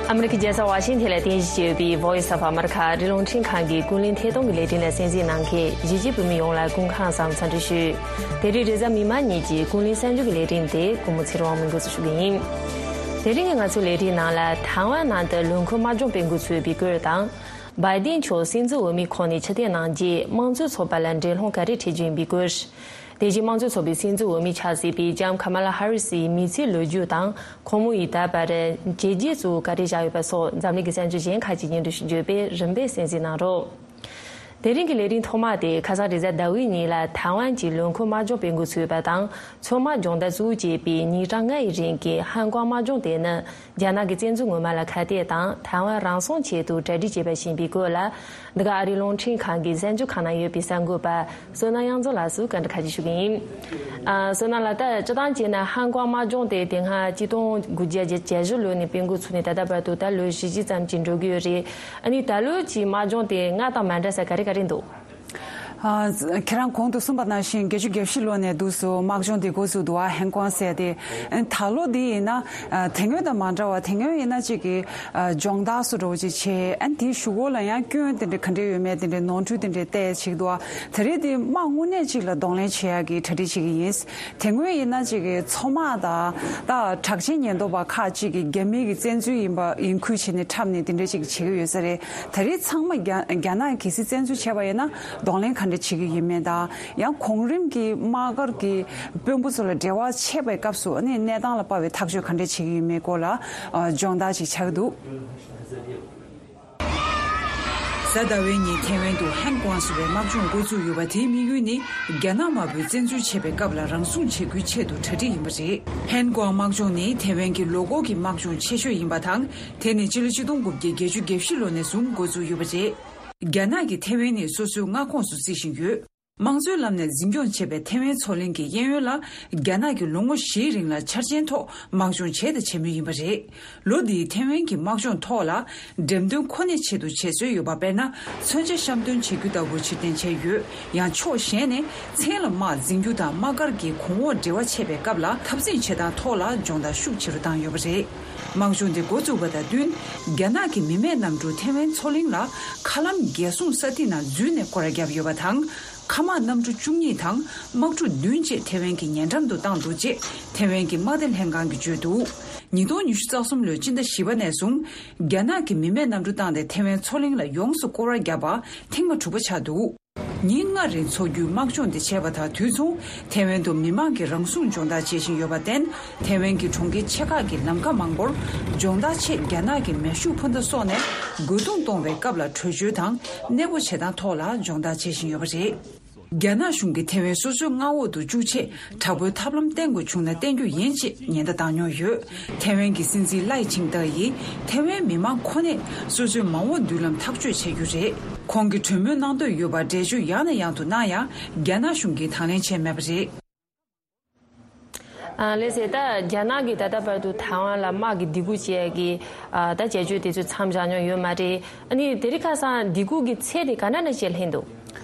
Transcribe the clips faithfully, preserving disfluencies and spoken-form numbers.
ཨ་མི་རི་ཀའི་རྒྱལ་ས་ཝ་ཤིང་ཐན་ལ་རྟེན་གཞི་བྱས་པའི་Voice of America ཨ་རིའི་རླུང་འཕྲིན་ཁང་གི་ཀུན་གླེང་ཐད་གཏོང་གི་ལས་རིམ་ལ་གསན་གཟིགས་གནང་མཁན་གཞིས་བྱེས་བོད་མི་ཡོངས་ལ་སྐུ་ཁམས་བཟང་འཚམས་འདྲི་ཞུ། དེ་རིང་རེས་གཟའ་མིག་དམར་ཉིན་གྱི་ཀུན་གླེང་གསར་འགྱུར་གྱི་ལས་རིམ་དེ་སྐུ་ངོ་ཚེ་རིང་དབང་མོས་འགོ་འཛུགས་ཞུ་གི་ཡིན། དེ་རིང་གི་ང་ཚོའི་ལས་རིམ་ནང་ལ་ཐའེ་ཝན་ནང་དུ་ལུང་ཁུག་དམག་སྦྱོང་སྤེལ་འགོ་ཚུགས་པའི་སྐོར་དང་། བའི་ཏིན་མཆོག་སྲིད་འཛིན་འོས་མིའི་ཁོངས་ནས་ཕྱིར་འཐེན་གནང་རྗེས་དམངས་གཙོའི་ཚོགས་པ་ལ་འགྲན་སློང་ག་རེ་འཁྲི་རྒྱུ་ཡིན་པའི་སྐོར། དེ་བཞིན་དམངས་གཙོའི་ཚོགས་པའི་སྲིད་འཛིན་འོས་མི་ཆགས་སྲིད་པའི་ལྕམ་ཁ་མ་ལ་ཧ་རི་སིའི་མི་ཚེའི་ལོ་རྒྱུས་དང་ཁོང་མོ་ཡིས་ད་བར་བྱས་རྗེས་གཙོ་བོ་ག་རེ་བཞག་ཡོད་པ་སོགས་འཛམ་གླིང་གི་གསར་འགྱུར་གཞན་ཁག་ཅིག་སྙན་སྒྲོན་ཞུ་རྒྱུ་ཡོད་པས་རིམ་པས་གསན་གཟིགས་གནང་རོགས། དེ་རིང་གི་ལས་རིམ་ཐོག་མ་དེ་ཁ་སང་རེས་གཟའ་ཟླ་བའི་ཉིན་ལ་ཐའེ་ཝན་གྱི་ལུང་ཁུག་དམག་སྦྱོང་སྤེལ་འགོ་ཚུགས་པ་དང་མཚོ་དམག་སྦྱོང་བརྡར་གཙོ་བོ་བྱས་པའི་ཉིན་གྲངས་ལྔ་ཡི་རིང་གི་ཧན་ཀོང་དམག་སྦྱོང་དེ་ནི། རྒྱ་ནག་གི་བཙན་འཛུལ་ངོ་མ་ལ་ཁ་གཏད་དང་ཐའེ་ཝན་རང་སྲུང་ཆེད་དུ་གྲ་སྒྲིག་བྱས་པ་ཞིག་ཡིན་པའི་སྐོར་ལ། འདི་ག་ཨ་རིའི་རླུང་འཕྲིན་ཁང་གི་གསར་འགྱུར་ཁང་ནང་ཡོད་པའི་གསར་འགོད་པ་བསོད་ནམས་དབྱངས་འཛོམས་ལགས་སུ་བཀའ་འདྲི་ཁ་ཅིག་ཞུ་གི་ཡིན། ཨ། བསོད་ནམས་ལགས། ད་སྤྱིར་བཏང་བྱས་ན་ཧན་ཀོང་དམག་སྦྱོང་དེ་དེ་སྔ་ཆིག་སྟོང་དགུ་བརྒྱ་བརྒྱད་ཅུ་གྱ་བཞི་ལོ་ནས་སྤེལ་འགོ་ཚུགས་ནས་ད་ལྟ་བར་དུ་ད་ལོ་བཞི་བཅུ་ཙམ་ཅིག་འགྲོ་གི་ཡོད་རེད། ཨ་ནི་ད་ལོ་གྱི་དམག་སྦྱོང་དེ་སྔར་དང་མ་འདྲ་ས་ག་རེ་ག་རེ་འདུག་ཨ། ཁྱེད་རང་གོང་དུ་གསུངས་པ་ནང་བཞིན་བརྒྱད་ཅུ་གྱ་བཞི་ལོ་ནས་འདུག་སེ་དམག་སྦྱོང་འདི་འགོ་བཙུགས་འདུག་ཨ། ཧན་ཀོང་ཟེར་ཏེ། ཨ། ད་ལོ་འདི་ཡིན་ན། ཨ། དེ་སྔོན་དང་མ་འདྲ་བ། དེ་སྔོན་ཡིན་ན་གཅིག་གི། ཨ། སྦྱོང་བརྡར་སོགས་འདྲ་བོ་ཅིག་བྱས། ཨ། དེའི་གཞུག་གུ་ལ་ཡང་སྐྱོན་དེ་འདྲ་ག་འདྲ་ཡོད་མེད་དེ་འདྲའི་ནོར་འཁྲུལ་དེ་འདྲ་བལྟས་བྱེད་ཀྱི་འདུག་ཨ། དེ་རིང་འདི་དམག་དངོས་གནས་གཅིག་ལ་གདོང་ལེན་བྱེད་ཡག་གི་གྲ་སྒྲིག་བྱེད་ཀྱི་ཡིན། དེ་སྔོན་ཡིན་ན་གཅིག་གི་མཚོ་དམག་དང་། ད་དྲག་ཆས་ཉེན་རྟོག་པ་ཁག་ཅིག་གིས་རྒྱ་མི་གི་བཙན་འཛུལ་ཡིན་པ་ཡིན་ཁུལ་བྱས་ནས་འཁྲབ་ནས་དེ་འདྲ་ཅིག་བྱེད་ཀྱི་ཡོད་ས་རེད། ད་རེས་ཚང་མ་རྒྱ་རྒྱ་ནག་གིས་གལ་སྲིད་བཙན་འཛུལ་བྱས་པ་ཡིན་ན་གདོང་ལེན་ག་འདྲ་བྱེད་ཀྱི་ཡིན་མིན་དང་། ཡང་གོང་རིམ་གྱི་དམག་སྒར་གྱི་དཔོན་པོ་ཚོ་ལ་འབྲེལ་བ་བྱེད་པའི་སྐབས་སུ་ཨ་ནི་གནས་སྟངས་ལ་དཔག་པའི་ཐག་གཅོད་ག་འདྲ་བྱེད་ཀྱི་ཡིན་མིན་སྐོར་ལ། ཨ། སྦྱོང་བརྡར་ཅིག་ཆགས་ཀྱི་འདུག་གཟའ་ཟླ་བའི་ཉིན་ཐེ་ཝན་དུ་ཧན་ཀོང་ཟེར་བའི་དམག་སྦྱོང་འགོ་བཙུགས་ཡོད་པ། དེའི་དམིགས་ཡུལ་ནི་རྒྱ་ནག་དམར་པོས་བཙན་འཛུལ་བྱེད་པའི་སྐབས་ལ་རང་སྲུང་བྱེད་རྒྱུའི་ཆེད་དུ་གྲ་སྒྲིག་ཡིན་པ་རེད། ཧན་ཀོང་དམག་སྦྱོང་ནི་ཐེ་ཝན་གྱི་ལོ་འཁོར་གྱི་དམག་སྦྱོང་ཆེ་ཤོས་ཡིན་པ་དང་། དེ་ནི་སྤྱི་ལོ་ཆིག་སྟོང་དགུ་བརྒྱ་བརྒྱད་ཅུ་གྱ་བཞི་ལོ་ནས་བཟུང་འགོ་བཙུགས་ཡོད་པ་རེད། རྒྱ་ནག་གིས་ཐེ་ཝན་ནི་སོ་སོའི་མངའ་ཁོངས་སུ་བརྩི་བཞིན་ཡོད། དམངས་གཙོའི་ལམ་ནས་འཛིན་སྐྱོང་བྱེད་པའི་ཐེ་ཝན་མཚོ་གླིང་གི་གཡས་གཡོན་ལ་རྒྱ་ནག་གིས་ལོ་ངོ་བཞིའི་རིང་ལ་འཆར་ཅན་ཐོག་དམག་སྦྱོང་བྱས་དང་བྱེད་མུས་ཡིན་པ་རེད། ལོ་འདིའི་ཐེ་ཝན་གྱི་དམག་སྦྱོང་ཐོག་ལ་འགྲེམས་སྟོན་ཁོ་ནའི་ཆེད་དུ་བྱེད་སྲོལ་ཡོད་པ། དཔེར་ན། མཚོན་ཆ་བཤམས་སྟོན་བྱེད་རྒྱུ་ལྟ་བུ་ཕྱིར་འཐེན་བྱས་ཡོད། ཡང་ཕྱོགས་གཞན་ནས་མཚན་ལ་དམག་འཛིང་རྒྱུ་དང་དམག་སྒར་གྱི་གོང་འོག་འབྲེལ་བ་ཆད་པའི་སྐབས་ལ་འཐབ་འཛིང་བྱེད་སྟངས་ཐོག་ལ་སྦྱོང་བརྡར་ཤུགས་ཆེ་རུ་བཏང་ཡོད་པ་རེད། དམག་སྦྱོང་དེ་འགོ་བཙུགས་པ་དང་བསྟུན། རྒྱ་ནག་གི་མི་མེད་གནམ་གྲུ་ཐེ་ཝན་མཚོ་གླིང་ལ་མཁའ་ལམ་རྒྱལ་སྲུང་ས་ཐིག་ནང་འཛུལ་ནས་སྐོར་ར་བརྒྱབ་ཡོད་པ་དང་། མཁའ་དམག་གནམ་གྲུ་བཅུ་གཉིས་དང་དམག་གྲུ་བདུན་བཅས་ཐེ་ཝན་གྱི་ཉེ་འགྲམ་དུ་བཏང་འདུག་ཅེས་ཐེ་ཝན་གྱི་དམག་སྡེ་ལྷན་ཁང་གིས་བརྗོད་འདུག་ཉིས་སྟོང་ཉི་ཤུ་རྩ་གསུམ་ལོའི་སྤྱི་ཟླ་བཞི་པ་ནས་བཟུང་རྒྱ་ནག་གིས་མི་མེད་གནམ་གྲུ་བཏང་སྟེ་ཐེ་ཝན་མཚོ་གླིང་ལ་ཡོངས་སུ་སྐོར་ར་བརྒྱབ་པ་ཐེངས་མ་དྲུག་པ་ཆགས་འདུག་ཉིན་ལྔ་རིང་འཚོགས་རྒྱུའི་དམག་སྦྱོང་དེ་བྱས་པ་དང་དུས་མཚུངས་ཐེ་ཝན་དུ་མི་མང་གིས་རང་སྲུང་སྦྱོང་བརྡར་བྱེད་བཞིན་ཡོད་པར་བརྟེན། ཐེ་ཝན་གྱི་གྲོང་ཁྱེར་ཆེ་ཁག་གི་ལམ་ཁ་མང་པོར་སྦྱོང་བརྡར་ཆེད་རྒྱ་ནག་གི་མེ་ཤུགས་འཕུར་མདའ་སོགས་ནས་རྒོལ་རྡུང་གཏོང་བའི་སྐབས་ལ་བྲོས་བྱོལ་དང་གནས་སྤོ་བྱེད་སྟངས་ཐོག་ལ་སྦྱོང་བརྡར་བྱེད་བཞིན་ཡོད་པ་རེད། རྒྱ་ནག་གཞུང་གིས་ཐེ་ཝན་སོ་སོའི་མངའ་འོག་ཏུ་བཅུག་ཆེད་དྲག་པོའི་ཐབས་ལམ་བསྟེན་དགོས་བྱུང་ན་བསྟེན་རྒྱུ་ཡིན་ཅེས་ཉེན་བརྡ་བཏང་མྱོང་ཡོད། ཐེ་ཝན་གྱི་སྲིད་འཛིན་ལའེ་ཆིང་ཏེ་ཡིས་ཐེ་ཝན་མི་མང་ཁོ་ནས་སོ་སོའི་མ་འོངས་མདུན་ལམ་ཐག་གཅོད་བྱེད་རྒྱུ་རེད། ཁོང་གིས་གྲོས་མོལ་གནང་འདོད་ཡོད་པར་འགྲེལ་བརྗོད་ཡང་ནས་ཡང་དུ་གནང་ཡང་རྒྱ་ནག་གཞུང་གིས་དང་ལེན་བྱས་མེད་པ་རེད། ཨ། ལགས་སེ། ད་རྒྱ་ནག་གིས་ད་ལྟ་བར་དུ་ཐའེ་ཝན་ལ་དམག་གི་སྡིགས་སྐུལ་བྱེད་ཡག་གི། ཨ། ད་བྱ་སྤྱོད་དེ་ཚོ་མཚམས་བཞག་མྱོང་ཡོད་མ་རེད། ཨ་ནི་དེ་རིང་ཁ་སང་སྡིགས་སྐུལ་གྱི་ཚད་དེ་ག་འདྲ་འདྲ་ཅིག་ལྷན་འདུག་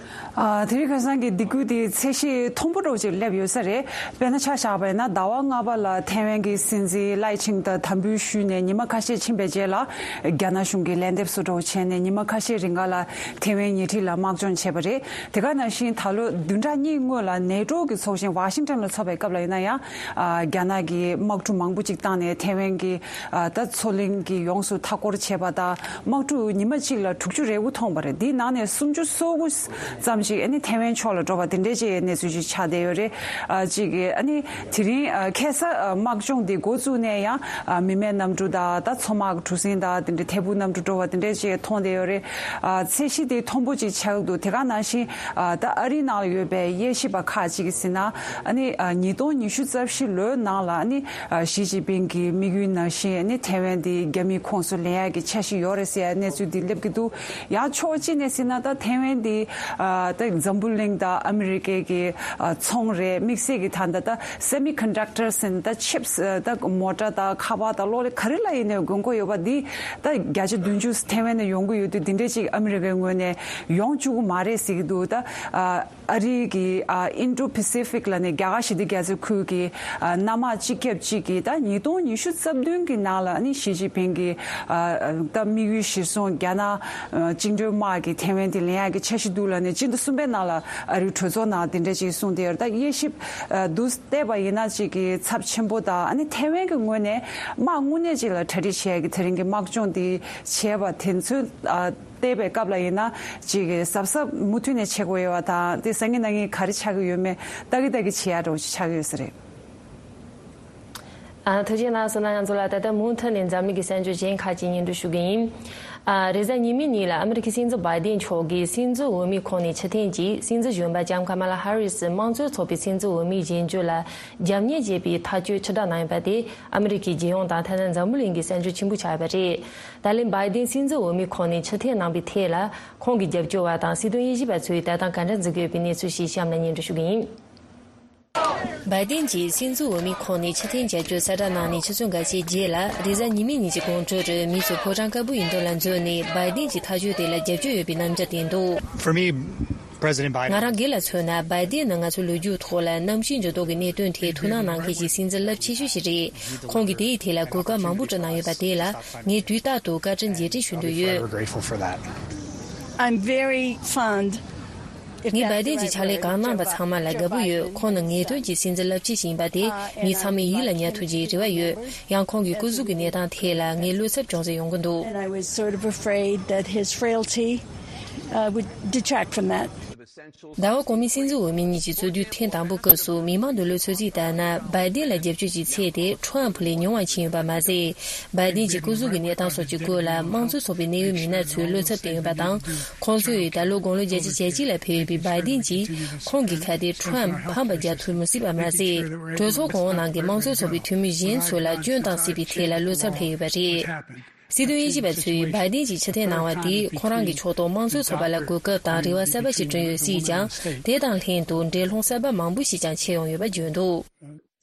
ཨ། དེ་རིང་ཁ་སང་གི་སྡིགས་སྐུལ་དེ་ཚད་གཞི་མཐོན་པོ་འདྲ་བོ་ཅིག་སླེབས་ཡོད་ས་རེད། དཔེར་ན་ཆ་བཞག་པ་ཡིན་ན་ཟླ་བ་ལྔ་པ་ལ་ཐེ་ཝན་གྱི་སྲིད་འཛིན་ལའེ་ཆིང་ཏེ་དམ་འབུལ་ཞུས་ནས་ཉི་མ་ཁ་ཤས་ཕྱིན་པའི་རྗེས་ལ་རྒྱ་ནག་གཞུང་གིས་ལན་འདེབས་སུ་འགྲོ་བྱས་ནས་ཉི་མ་ཁ་ཤས་རིང་ག་ལ་ཐེ་ཝན་ཉེ་འཁྲིས་ལ་དམག་སྦྱོང་བྱས་པ་རེད། དེ་ག་ནང་བཞིན་ད་ལོ་བདུན་ཕྲག་གཉིས་སྔོན་ལ་ནེ་ཏོ་གི་ཚོགས་ཆེན་ཝ་ཤིང་ཊོན་ལ་འཚོགས་པའི་སྐབས་ལ་ཡིན་ན་ཡང་། ཨ། རྒྱ་ནག་གིས་དམག་གྲུ་མང་པོ་ཅིག་བཏང་ནས་ཐེ་ཝན་གྱི། ཨ། ད་མཚོ་གླིང་གི་ཡོངས་སུ་མཐའ་སྐོར་བྱས་པ་དང་དམག་གྲུ་ཉི་མ་གཅིག་ལ་དྲུག་ཅུ་རེ་དགུ་ཐོན་པ་རེད། འདིའི་ནང་ནས་སུམ་ཅུ་སོ་དགུ་ཙམ་ཞིག་ཨ་ནི་ཐེ་ཝན་ཕྱོགས་ལ་འགྲོ་བ་དེ་འདྲའི་ཅིག་གནས་ཚུལ་ཅིག་ཆགས་བསྡད་ཡོད་རེད། ཨ། གཅིག་གིས་ཨ་ནི་དེ་རིང་། ཨ། ཁ་སང་། ཨ། དམག་སྦྱོང་འདི་འགོ་བཙུགས་ནས་ཡང་། ཨ། མི་མེད་གནམ་གྲུ་དང་ད་མཚོ་དམག་གྲུ་གཟིངས་དང་དེ་འདྲའི་ཐད་འཕུར་གནམ་གྲུ་འགྲོ་བ་དེ་འདྲའི་ཅིག་མཐོང་བསྡད་ཡོད་རེད། ཨ། ཚད་གཞི་དེ་མཐོན་པོ་ཅིག་ཆགས་འདུག་དེ་ག་ནང་བཞིན། ཨ། ད་ཨ་རིའི་ནང་ལ་ཡོད་པའི་དབྱེ་ཞིབ་པ་ཁག་ཅིག་གིས་ཟེར་ན། ཨ་ནི། ཨ། ཉིས་སྟོང་ཉི་ཤུ་རྩ་བཞི་ལོའི་ནང་ལ་ཨ་ནི། ཨ། ཞི་ཅིན་ཕིང་གི་དམིགས་ཡུལ་ནང་བཞིན་ཨ་ནི་ཐེ་ཝན་དེ་རྒྱ་མིའི་ཁོངས་སུ་ལེན་ཡག་གི་འཆར་གཞི་ཡོད་རེད་ཟེར་ཡག་གནས་ཚུལ་འདི་སླེབས་ཀྱི་འདུག་ཡང་ཕྱོགས་གཅིག་ནས་ཟེར་ན་ད་ཐེ་ཝན་དེ། ཨ། ད་འཛམ་བུ་གླིང་དང་ཨ་མི་རི་ཀའི་གི་ཨ་ཚོང་རེད། དམིགས་བསལ་གྱི་ད་ལྟ་ད་སེ་མི་ཀོན་ཌག་ཊར་ཟེར་ད་ཆིབས་ད་མོ་ཊ་དང་ཁ་པར་དང་གློག་ཀླད་ག་རེ་ལ་ཡིན་ནའི་དགོས་མཁོ་ཡོད་པ་འདི་ད་བརྒྱ་ཆ་བདུན་ཅུ་ཐེ་ཝན་ནས་ཡོང་གི་ཡོད་དུས་འདི་འདྲས་ཅིག་ཨ་མི་རི་ཀའི་ངོས་ནས་ཡོང་བཅུག་གི་མ་རེད་ཟེར་གྱི་འདུག་ད་ཨ་ཨ་རི་གི་ཨ་ཨིན་ཌོ་པེ་སི་ཕིག་ལ་ནས་རྒྱ་གར་ཞི་བདེ་རྒྱ་མཚོའི་ཁུལ་གྱི་ཨ་གནམ་དམག་སྤྱི་ཁྱབ་ཅིག་གིས་ད་ཉིས་སྟོང་ཉི་ཤུ་རྩ་བདུན་གྱི་ནང་ལ་ཨ་ནི་ཞི་ཅིན་ཕིང་གི་ཨ་ད་དམིགས་ཡུལ་གཞིར་བཟུང་རྒྱ་ནག་ཨ་བཅིངས་འགྲོལ་དམག་གིས་ཐེ་ཝན་དེ་ལེན་ཡག་གི་འཆར་གཞི་འདུག་ལ་ནས་སྤྱི་ཟླ་གསུམ་པའི་ནང་ལ་ཨ་རིའི་གྲོས་ཚོགས་ནང་དེ་འདྲ་ཅིག་གསུངས་ཏེ་ཡོད་རེད། ད་དབྱེ་ཞིབ་ཨ་འདུག་བལྟས་པ་ཡིན་ན་ཅིག་གི་ཚབས་ཆེན་པོ་དང་ཨ་ནི་ཐེ་ཝན་གྱི་ངོས་ནས་དམག་དངོས་གནས་ཅིག་ལ་གྲ་སྒྲིག་བྱེད་ཡག་གི་དེ་རིང་གི་དམག་སྦྱོང་དེ་བྱས་པ་དེ་ཚོ་ཨ། བལྟས་པའི་སྐབས་ལ་ཡིན་ན་ཅིག་གཟབ་གཟབ་མུ་མཐུད་ནས་བྱེད་དགོས་ཡོད་པ་དང་དེ་སང་ཉིན་གནངས་ཉིན་ག་རེ་ཆགས་ཀྱི་ཡོད་མེད་ལྟ་གི་ལྟ་གི་བྱེད་ཡག་འདྲ་བོ་ཅིག་ཆགས་ཀྱི་ཡོད་ས་རེད། ཨ། ཐུགས་རྗེ་གནང་སོང་། ང་ཚོ་ལ་ད་ལྟ་མུ་མཐུད་ནས་འཛམ་གླིང་གི་གསར་འགྱུར་གཞན་ཁག་ཅིག་སྙན་སྒྲོན་ཞུ་གི་ཡིན། ཨ། རེས་གཟའ་ཉི་མའི་ཉིན་ལ་ཨ་མི་རི་ཀའི་སྲིད་འཛིན་བྷའི་ཏིན་མཆོག་གིས་སྲིད་འཛིན་འོས་མིའི་ཁོངས་ནས་ཕྱིར་འཐེན་གྱིས་སྲིད་འཛིན་གཞོན་པ་ལྕམ་ཀ་མ་ལ་ཧ་རི་སི་དམངས་གཙོའི་ཚོགས་པའི་སྲིད་འཛིན་འོས་མི་བཞེངས་རྒྱུ་ལ་རྒྱབ་གཉེར་བྱས་པའི་ཐག་གཅོད་ཕྱིར་བསྒྲགས་གནང་ཡོད་པ་དེ་ཨ་མི་རི་ཀའི་རྒྱལ་ཡོངས་དང་ཐ་ན་འཛམ་བུ་གླིང་གི་གསར་འགྱུར་ཆེན་པོ་ཆགས་ཡོད་པ་རེད། ད་ལན་བྷའི་ཏིན་སྲིད་འཛིན་འོས་མིའི་ཁོངས་ནས་ཕྱིར་འཐེན་གནང་བའི་ཐད་ལ་ཁོང་གི་རྒྱབ་སྐྱོར་བ་དང་སྲིད་དོན་དབྱེ་ཞིབ་པ་ཚོས་ལྟ་སྟངས་ག་འདྲ་འཛིན་གྱི་ཡོད་པའི་གནས་ཚུལ་ཞིག་གཤམ་ལ་སྙན་སྒྲོན་ཞུ་གི་ཡིན། བྷའི་ཏིན་གྱིས་སྲིད་འཛིན་འོས་མིའི་ཁོངས་ནས་ཕྱིར་འཐེན་བྱ་རྒྱུ་གསལ་བསྒྲགས་གནང་ནས་ཆུ་ཚོད་འགའ་ཤས་རྗེས་ལ་རེས་གཟའ་ཉི་མའི་ཉིན་གྱི་དགོང་དྲོ་རུ་མི་ཚོ་ཕོ་བྲང་དཀར་པོའི་མདུན་ལ་འཛོམས་ནས་བྷའི་ཏིན་གྱི་ཐག་གཅོད་དེ་ལ་རྒྱབ་སྐྱོར་ཡོད་པའི་རྣམ་འགྱུར་བསྟན་འདུག For me, President Biden. ང་རང་སྒེར་ལ་མཚོན་ན་བྷའི་ཏིན་ནི་ང་ཚོའི་ལོ་རྒྱུས་ཐོག་ལ་གནམ་གཤིས་འགྱུར་ལྡོག་གི་གནད་དོན་ཐད་ཐུགས་སྣང་གནང་མཁན་གྱི་སྲིད་འཛིན་རླབས་ཆེ་ཤོས་ཤིག་རེད། ཁོང་གིས་དེའི་ཐད་ལ་གོ་སྐབས་མང་པོ་བསྐྲུན་གནང་ཡོད་པ་དེ་ལ་ངས་དུས་རྟག་ཏུ་བཀའ་དྲིན་རྗེས་དྲན་ཞུ་འདོད་ཡོད། Forever grateful for that. I'm very fond. ངས་བྷའི་ཏིན་གྱི་ཕྱག་ལས་གང་གནང་པ་ཚང་མ་ལ་དགའ་པོ་ཡོད། ཁོང་ནི་ངེས་དོན་གྱི་སྲིད་འཛིན་རླབས་ཆེ་ཞིག་ཡིན་པ་དེ་ངས་ཚང་མས་ཡིད་ལ་ཉར་ཐུབ་ཅེས་རེ་བ་ཡོད། ཡང་ཁོང་གི་སྐུ་གཟུགས་ཀྱི་གནས་སྟངས་ཐད་ལ་ངས་བློ་འཚབ་ཅུང་ཟད་ཡོང་གི་འདུག And I was sort of afraid that his frailty, uh, would detract from that. ཟླ་བ་གོང་མའི་སྲིད་འཛིན་འོས་མི་གཉིས་ཀྱི་རྩོད་དུས་ཐེངས་དང་པོའི་སྐབས་སུ་མི་མང་གི་བློ་འཚབ་ཚིག་ལྟར་ན་བྷའི་ཏིན་ལ་རྒྱབ་སྐྱོར་གྱི་ཚད་དེ་ཁྲོམ་ཕུ་ལས་ཉུང་བ་ཕྱིན་ཡོད་པ་མ་ཟད། བྷའི་ཏིན་གྱི་སྐུ་གཟུགས་ཀྱི་གནས་སྟངས་སོགས་ཀྱི་སྐོར་ལ་དམངས་གཙོའི་ཚོགས་པའི་གནད་ཡོད་མི་སྣ་ཚོས་བློ་འཚབ་བསྟན་ཡོད་པ་དང་། ཁོང་ཚོས་ད་ལོ་དགུང་ལོ་བརྒྱད་ཅུ་གྱ་གཅིག་ལ་ཕེབས་ཡོད་པའི་བྷའི་ཏིན་གྱིས་ཁོང་གི་ཁ་དེ་ཁྲོམ་ཕམ་པ་རྒྱག་ཐུབ་མི་སྲིད་པ་མ་ཟད། གྲོས་ཚོགས་གོང་འོག་ནང་གི་དམངས་གཙོའི་ཚོགས་པའི་འཐུས་མི་གཞན་ཚོ་ལ་སྐྱོན་བཏང་སྲིད་པའི་ཐད་ལ་བློ་འཚབ་སླེབས་ཡོད་པ་རེད། སྲིད་དོན་དབྱེ་ཞིབ་པ་ཚོས་བྷའི་ཏིན་གྱིས་ཕྱིར་འཐེན་གནང་བ་དེས་ཁོ་རང་གི་ཕྱོགས་གཏོགས་དམངས་གཙོའི་ཚོགས་པ་ལ་གོ་སྐབས་དང་རེ་བ་གསར་པ་ཞིག་བསྐྲུན་ཡོད་སྲིད་ཀྱང་། དེ་དང་ལྷན་དུ་འགྲན་སློང་གསར་པ་མང་པོ་ཞིག་ཀྱང་ཆེ་ཡོང་ཡོད་པ་བརྗོད་འདུག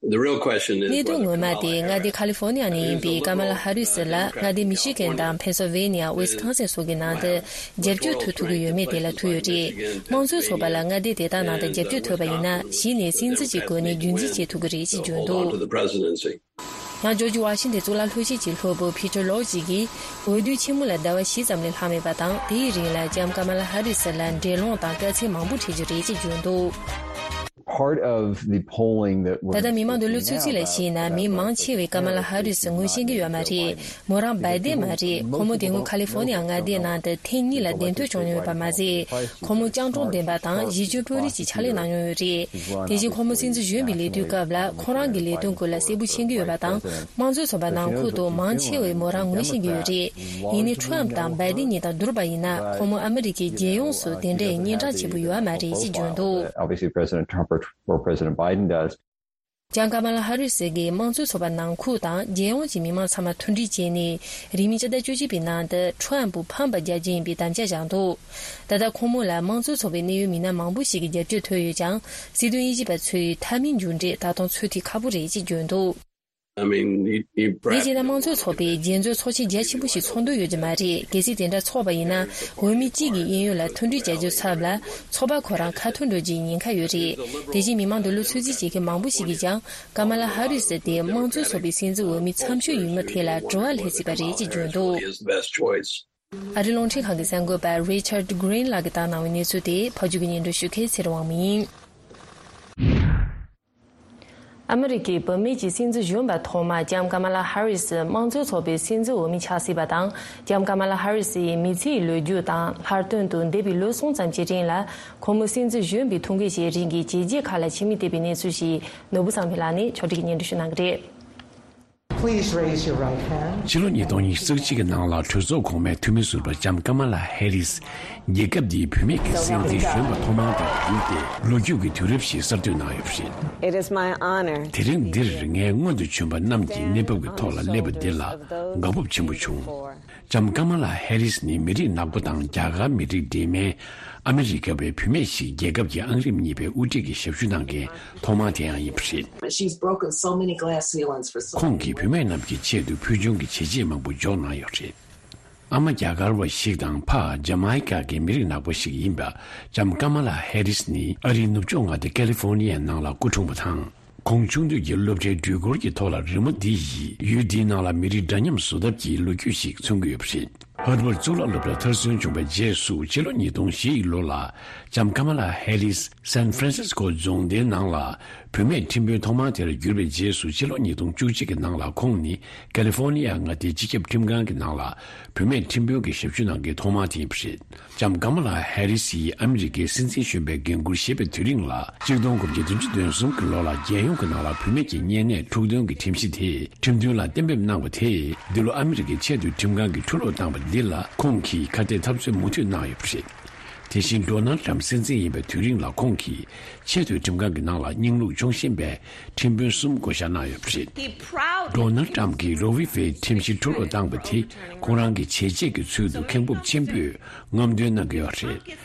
The real question is གནད་དོན་whether ངོ་མ་Kamala དེ་མངའ་སྡེ་ཁ་ལི་ཧྥོ་ནི་ཡ་ནས་ཡིན་པའི་ཀ་མ་ལ་ཧ་རི་སི་ལ་མངའ་སྡེ་མི་ཤི་གན་དང་ཕེན་སིལ་ཝེ་ནི་ཡ། ཝི་སི་ཀོན་སིན་སོགས་ཀྱི་ནང་དུ་རྒྱབ་སྐྱོར་ཐོབ་ཐུབ་ཀྱི་ཡོད་མེད་དེ་ལ་ཐུག་ཡོད་རེད། དམངས་གཙོའི་ཚོགས་པ་ལ་མངའ་སྡེ་དེ་དག་ནང་དུ་རྒྱབ་སྐྱོར་ཐོབ་པ་ཡིན་ན་གཞི་ནས་སྲིད་འཛིན་གྱི་གོ་གནས་རྒྱུན་འཛིན་བྱེད་ཐུབ་ཀྱི་རེད་ཅེས་བརྗོད་འདུག to the presidency. ཡང་ཇོར་ཇི་ཝ་ཤིང་ཏན་གཙུག་ལག་སློབ་ཆེན་གྱི་སློབ་བུ་ཕི་ཏྲ་ལོ་ཇི་གིས་འོས་བསྡུ་ཆེན་མོ་ལ་ཟླ་བ་བཞི་ཙམ་ལས་ལྷག་མེད་པ་དང་། དེའི་རིང་ལ་ལྕམ་ཀ་མ་ལ་ཧ་རི་སི་ལ་འགྲན་སློང་དང་དཀའ་ཚེགས་མང་པོ་འཕྲད་རྒྱུ་རེད་ཅེས་བརྗོད་འདུག Part of the polling that was ད་ལྟ་མི་མང་གི་གློག་འཚོས་ཚིག་ལ་གཞིགས་ན། མི་མང་ཆེ་བས་ཀ་མ་ལ་ཧ་རི་སི་ངོ་ཤེས་ཀྱི་ཡོད་མ་རེད། མོ་རང་བྷའི་ཏིན་མ་རེད། ཁོ་མོ་དེ་སྔོན་ཁ་ལི་ཧྥོ་ནི་ཡ་མངའ་སྡེའི་ནང་དུ་ཐེངས་གཉིས་ལ་འདེམས་ཐོན་བྱུང་མྱོང་ཡོད་པ་མ་ཟད། ཁོ་མོ་སྤྱང་གྲུང་ལྡན་པ་དང་གཞི་ཁྱོན་དཔོན་རིགས་ཀྱི་ཕྱག་ལས་གནང་མྱོང་ཡོད་རེད། དེ་བཞིན་ཁོ་མོ་སྲིད་འཛིན་གཞོན་པའི་ལས་དུས་སྐབས་ལ་ཁོ་རང་གི་ལས་དོན་སྐོར་ལ་གསལ་པོ་ཤེས་ཀྱི་ཡོད་པ་དང་། དམངས་གཙོའི་ཚོགས་པ་ནང་ཁུལ་དུ་མང་ཆེ་བས་མོ་རང་ངོ་ཤེས་ཀྱི་ཡོད་རེད། ཡིན་ནའི་ཁྲོམ་དང་བྷའི་ཏིན་གཉིས་དང་བསྡུར་བ་ཡིན་ན། ཁོ་མོ་ཨ་མི་རི་ཀའི་རྒྱལ་ཡོངས་སུ་དེ་འདྲའི་སྙན་གྲགས་ཆེན་པོ་ཡོད་མ་རེད་ཅེས་བརྗོད་འདུག Obviously, President Trump or, or President Biden does. ལྕམ་ཀ་མ་ལ་ཧ་རི་སི་གིས་དམངས་གཙོའི་ཚོགས་པ་ནང་ཁུལ་དང་རྒྱལ་ཡོངས་ཀྱི་མི་མང་ཚང་མ་མཐུན་སྒྲིལ་བྱས་ནས། རིང་མིན་སྤྱི་ཟླ་བཅུ་གཅིག་པའི་ནང་དུ་ཁྲོམ་ཕུ་ཕམ་པ་རྒྱག་རྒྱུ་ཡིན་པའི་དམ་བཅའ་བཞག་འདུག་ད་ལྟ་ཁོང་མོ་ལ་དམངས་གཙོའི་ཚོགས་པའི་གནད་ཡོད་མི་སྣ་མང་པོ་ཞིག་གི་རྒྱབ་སྐྱོར་ཐོབ་ཡོད་ཀྱང་། སྲིད་དོན་དབྱེ་ཞིབ་པ་ཚོས་མཐའ་མའི་མཇུག་འབྲས་ད་དུང་ཚོད་ཐིག་ཁག་པོ་རེད་ཅེས་བརྗོད་འདུག I mean, he, he དེ་རྗེས་ན་དམངས་གཙོའི་ཚོགས་པས་རྒྱལ་འཛོམས་ཚོགས་ཆེན་རྒྱ་ཆེན་པོ་ཞིག་ཚོགས་འདོད་ཡོད་ཀྱི་མ་རེད། གལ་སྲིད་དེ་འདྲ་ཚོགས་པ་ཡིན་ན། འོས་མི་གཅིག་གི་གཡས་གཡོན་ལ་མཐུན་སྒྲིལ་བྱ་རྒྱུའི་ཚབ་ལ། ཚོགས་པ་ཁོ་རང་ཁ་ཐོར་འགྲོ་རྒྱུའི་ཉེན་ཁ་ཡོད་རེད། དེ་བཞིན་མི་མང་དུ་གློག་འཚོས་ཚིག་བྱེད་མཁན་མང་པོ་ཞིག་གིས་ཀྱང་། ཀ་མ་ལ་ཧ་རི་སི་དེ་དམངས་གཙོའི་ཚོགས་པའི་སྲིད་འཛིན་འོས་མི་འཚམ་ཤོས་ཡིན་མིན་ཐད་ལ་དྲི་བ་སླེབས་སྲིད་པ་རེད་ཅེས་བརྗོད་འདུག Is the best choice. ཨ་རིའི་རླུང་འཕྲིན་ཁང་གི་གསར་འགོད་པ་Richard Green ལགས་ཀྱིས་བཏང་གནང་བའི་གནས་ཚུལ་དེ་ཕབ་སྒྱུར་གྱིས་སྙན་སྒྲོན་ཞུ་མཁན་ཚེ་རིང་དབང་མོ་ཡིན། ཨ་མི་རི་ཀའི་བུད་མེད་ཀྱི་སྲིད་འཛིན་གཞོན་པ་ཐོག་མ་ལྕམ་ཀ་མ་ལ་ཧ་རི་སི་དམངས་གཙོའི་ཚོགས་པའི་སྲིད་འཛིན་འོས་མི་ཆགས་སྲིད་པ་དང་། ལྕམ་ཀ་མ་ལ་ཧ་རི་སི་ཡི་མི་ཚེའི་ལོ་རྒྱུས་དང་ལྷག་དོན་དུ་འདས་པའི་ལོ་གསུམ་ཙམ་གྱི་རིང་ལ་ཁོ་མོ་སྲིད་འཛིན་གཞོན་པའི་ཐུགས་འགན་བཞེས་རིང་གི་བྱས་རྗེས་ཁག་ལ་ཕྱི་མིག་བལྟས་པའི་གནས་ཚུལ་ཞིག་ནོར་བུ་བསམ་འཕེལ་ལགས་ནས་ཕྱོགས་སྒྲིག་གིས་སྙན་སྒྲོན་ཞུ་གནང་གི་རེད། Please raise your right hand. ཕྱི་ལོ་ཉིས་སྟོང་ཉི་ཤུ་རྩ་གཅིག་གི་ནང་ལ་གྲོས་ཚོགས་གོང་མའི་འཐུས་མི་ཟུར་པ་ལྕམ་ཀ་མ་ལ་ཧེ་རིས། རྒྱལ་ཁབ་འདིའི་བུད་མེད་ཀྱི་སྲིད་འཛིན་གཞོན་པ་ཐོག་མ་དང་བསྡུར་ཏེ་ལོ་རྒྱུས་ཀྱི་དུས་རབས་ཤིག་གསར་གཏོད་གནང་ཡོད་པ་རེད། It is my honor. དེ་རིང་འདིར་ངས་སྔོན་དུ་བྱོན་པ་རྣམས་ཀྱི་གནས་བབ་ཀྱི་ཐོག་ལ་སླེབས་པ་འདི་ལ་དགའ་སྤོབས་ཆེན་པོ་བྱུང་། ལྕམ་ཀ་མ་ལ་ཧེ་རིས་ནི་མི་རིགས་ནག་པོ་དང་རྒྱ་གར་མི་རིགས་འདྲེས་མའི་ ཨ་མི་རི་ཀ་བའི་བུད་མེད་ཞིག་རྒྱལ་ཁབ་ཀྱི་ཨང་རིམ་གཉིས་པའི་དབུ་ཁྲིད་ཀྱི་ཞབས་ཞུ་གནང་མཁན་ཐོག་མ་དེའང་ཡིན་པ་རེད། She's broken so many glass ceilings for so ཁོང་གིས་བུད་མེད་རྣམས་ཀྱི་ཆེད་དུ་ཕུལ་བྱུང་གི་བྱས་རྗེས་མང་པོ་འཇོག་གནང་ཡོད་རེད། ཨ་མ་རྒྱ་གར་བ་ཞིག་དང་ཕ་ཇ་མའི་ཀ་གི་མི་རིགས་ནག་པོ་ཞིག་ཡིན་པ་ལྕམ་ཀ་མ་ལ་ཧེ་རིས་ནི་ཨ་རིའི་ནུབ་ཕྱོགས་མངའ་སྡེ་ཀ་ལི་ཧྥོ་ནི་ཡའི་ནང་ལ་སྐུ་འཁྲུངས་པ་དང་། ཁོང་ཆུང་དུས་ཀྱི་སློབ་གྲྭའི་འགྲུལ་འཁོར་གྱི་ཐོག་ལ་རི་མོ་འདི་ཡིས་ཡུལ་འདིའི་ནང་ལ་མི་རིགས་འདྲ་མཉམ་བཟོ་ཐབས་ཀྱི་ལོ་རྒྱུས་ཤིག་མཚོན་གྱི་ཡོད་པ་རེད། ཧར་ཝརཌ་གཙུག་ལག་སློབ་གྲྭ་མཐར་སོན་བྱུང་བའི་རྗེས་སུ་ཕྱི་ལོ་ཉིས་སྟོང་བཞི་ཡི་ལོ་ལ་ལྕམ་ཀ་མ་ལ་ཧེ་རིས་སན་ཧྥ་རན་སིས་ཀོ་རྫོང་སྡེའི་ནང་ལ་བུད་མེད་ཁྲིམས་དཔོན་ཐོག་མ་དེར་གྱུར་པའི་རྗེས་སུ་ཕྱི་ལོ་ཉིས་སྟོང་བཅུ་གཅིག་གི་ནང་ལ་ཁོང་ནི་ཀ་ལི་ཧྥོ་ནི་ཡ་མངའ་སྡེའི་སྤྱི་ཁྱབ་ཁྲིམས་ཁང་གི་ནང་ལ་བུད་མེད་ཁྲིམས་དཔོན་གྱི་ཞབས་ཞུ་གནང་མཁན་ཐོག་མ་དེ་ཡིན་པ་རེད། ལྕམ་ཀ་མ་ལ་ཧེ་རི་སིས་ཨ་མི་རི་ཀའི་སྲིད་འཛིན་གཞོན་པའི་འགན་འཁུར་བཞེས་པའི་དུས་རིང་ལ་གཅིག་སྟོང་དགུ་བརྒྱ་བདུན་ཅུ་དོན་གསུམ་གྱི་ལོ་ལ་རྒྱལ་ཡོངས་ཀྱི་ནང་ལ་བུད་མེད་ཀྱི་གཉན་ནད་འཁྲུག་འདོན་གྱི་ཁྲིམས་གཞི་དེ་ཁྲིམས་མཐུན་ལ་གཏན་འབེབས་གནང་བ་དེས་འདི་ལོ་ཨ་མི་རི་ཀའི་ཆེས་མཐོའི་ཁྲིམས་ཁང་གིས་ཁྲུ་ལོག་བཏང་བ་འདི་ལ་ཁོང་གིས་ཁ་གཏད་འཐབ་རྩོད་མུ་མཐུད་གནང་ཡོད་པ་རེད། དེ་བཞིན་ཌོ་ནལ་ཊམ་སྲིད་འཛིན་ཡིན་པའི་དུས་རིང་ལ་ཁོང་གིས་ཆེས་མཐོའི་ཁྲིམས་ཁང་གི་ནང་ལ་རྙིང་ལུགས་སྐྱོང་བཞིན་པའི་ཁྲིམས་དཔོན་གསུམ་བསྐོ་བཞག་གནང་ཡོད་པ་རེད། He proudly ཌོ་ནལ་ཊམ་གྱིས་རོ་ཝི་ཝེ་ཁྲིམས་གཞི་ཁྲུ་ལོག་བཏང་བ་དེ་ཁོང་རང་གི་བྱས་རྗེས་ཀྱི་ཚུལ་དུ་མཁན་པོ་ཆེན་པོས་རྔམ་སྟོན་གནང་གི་ཡོད་རེད།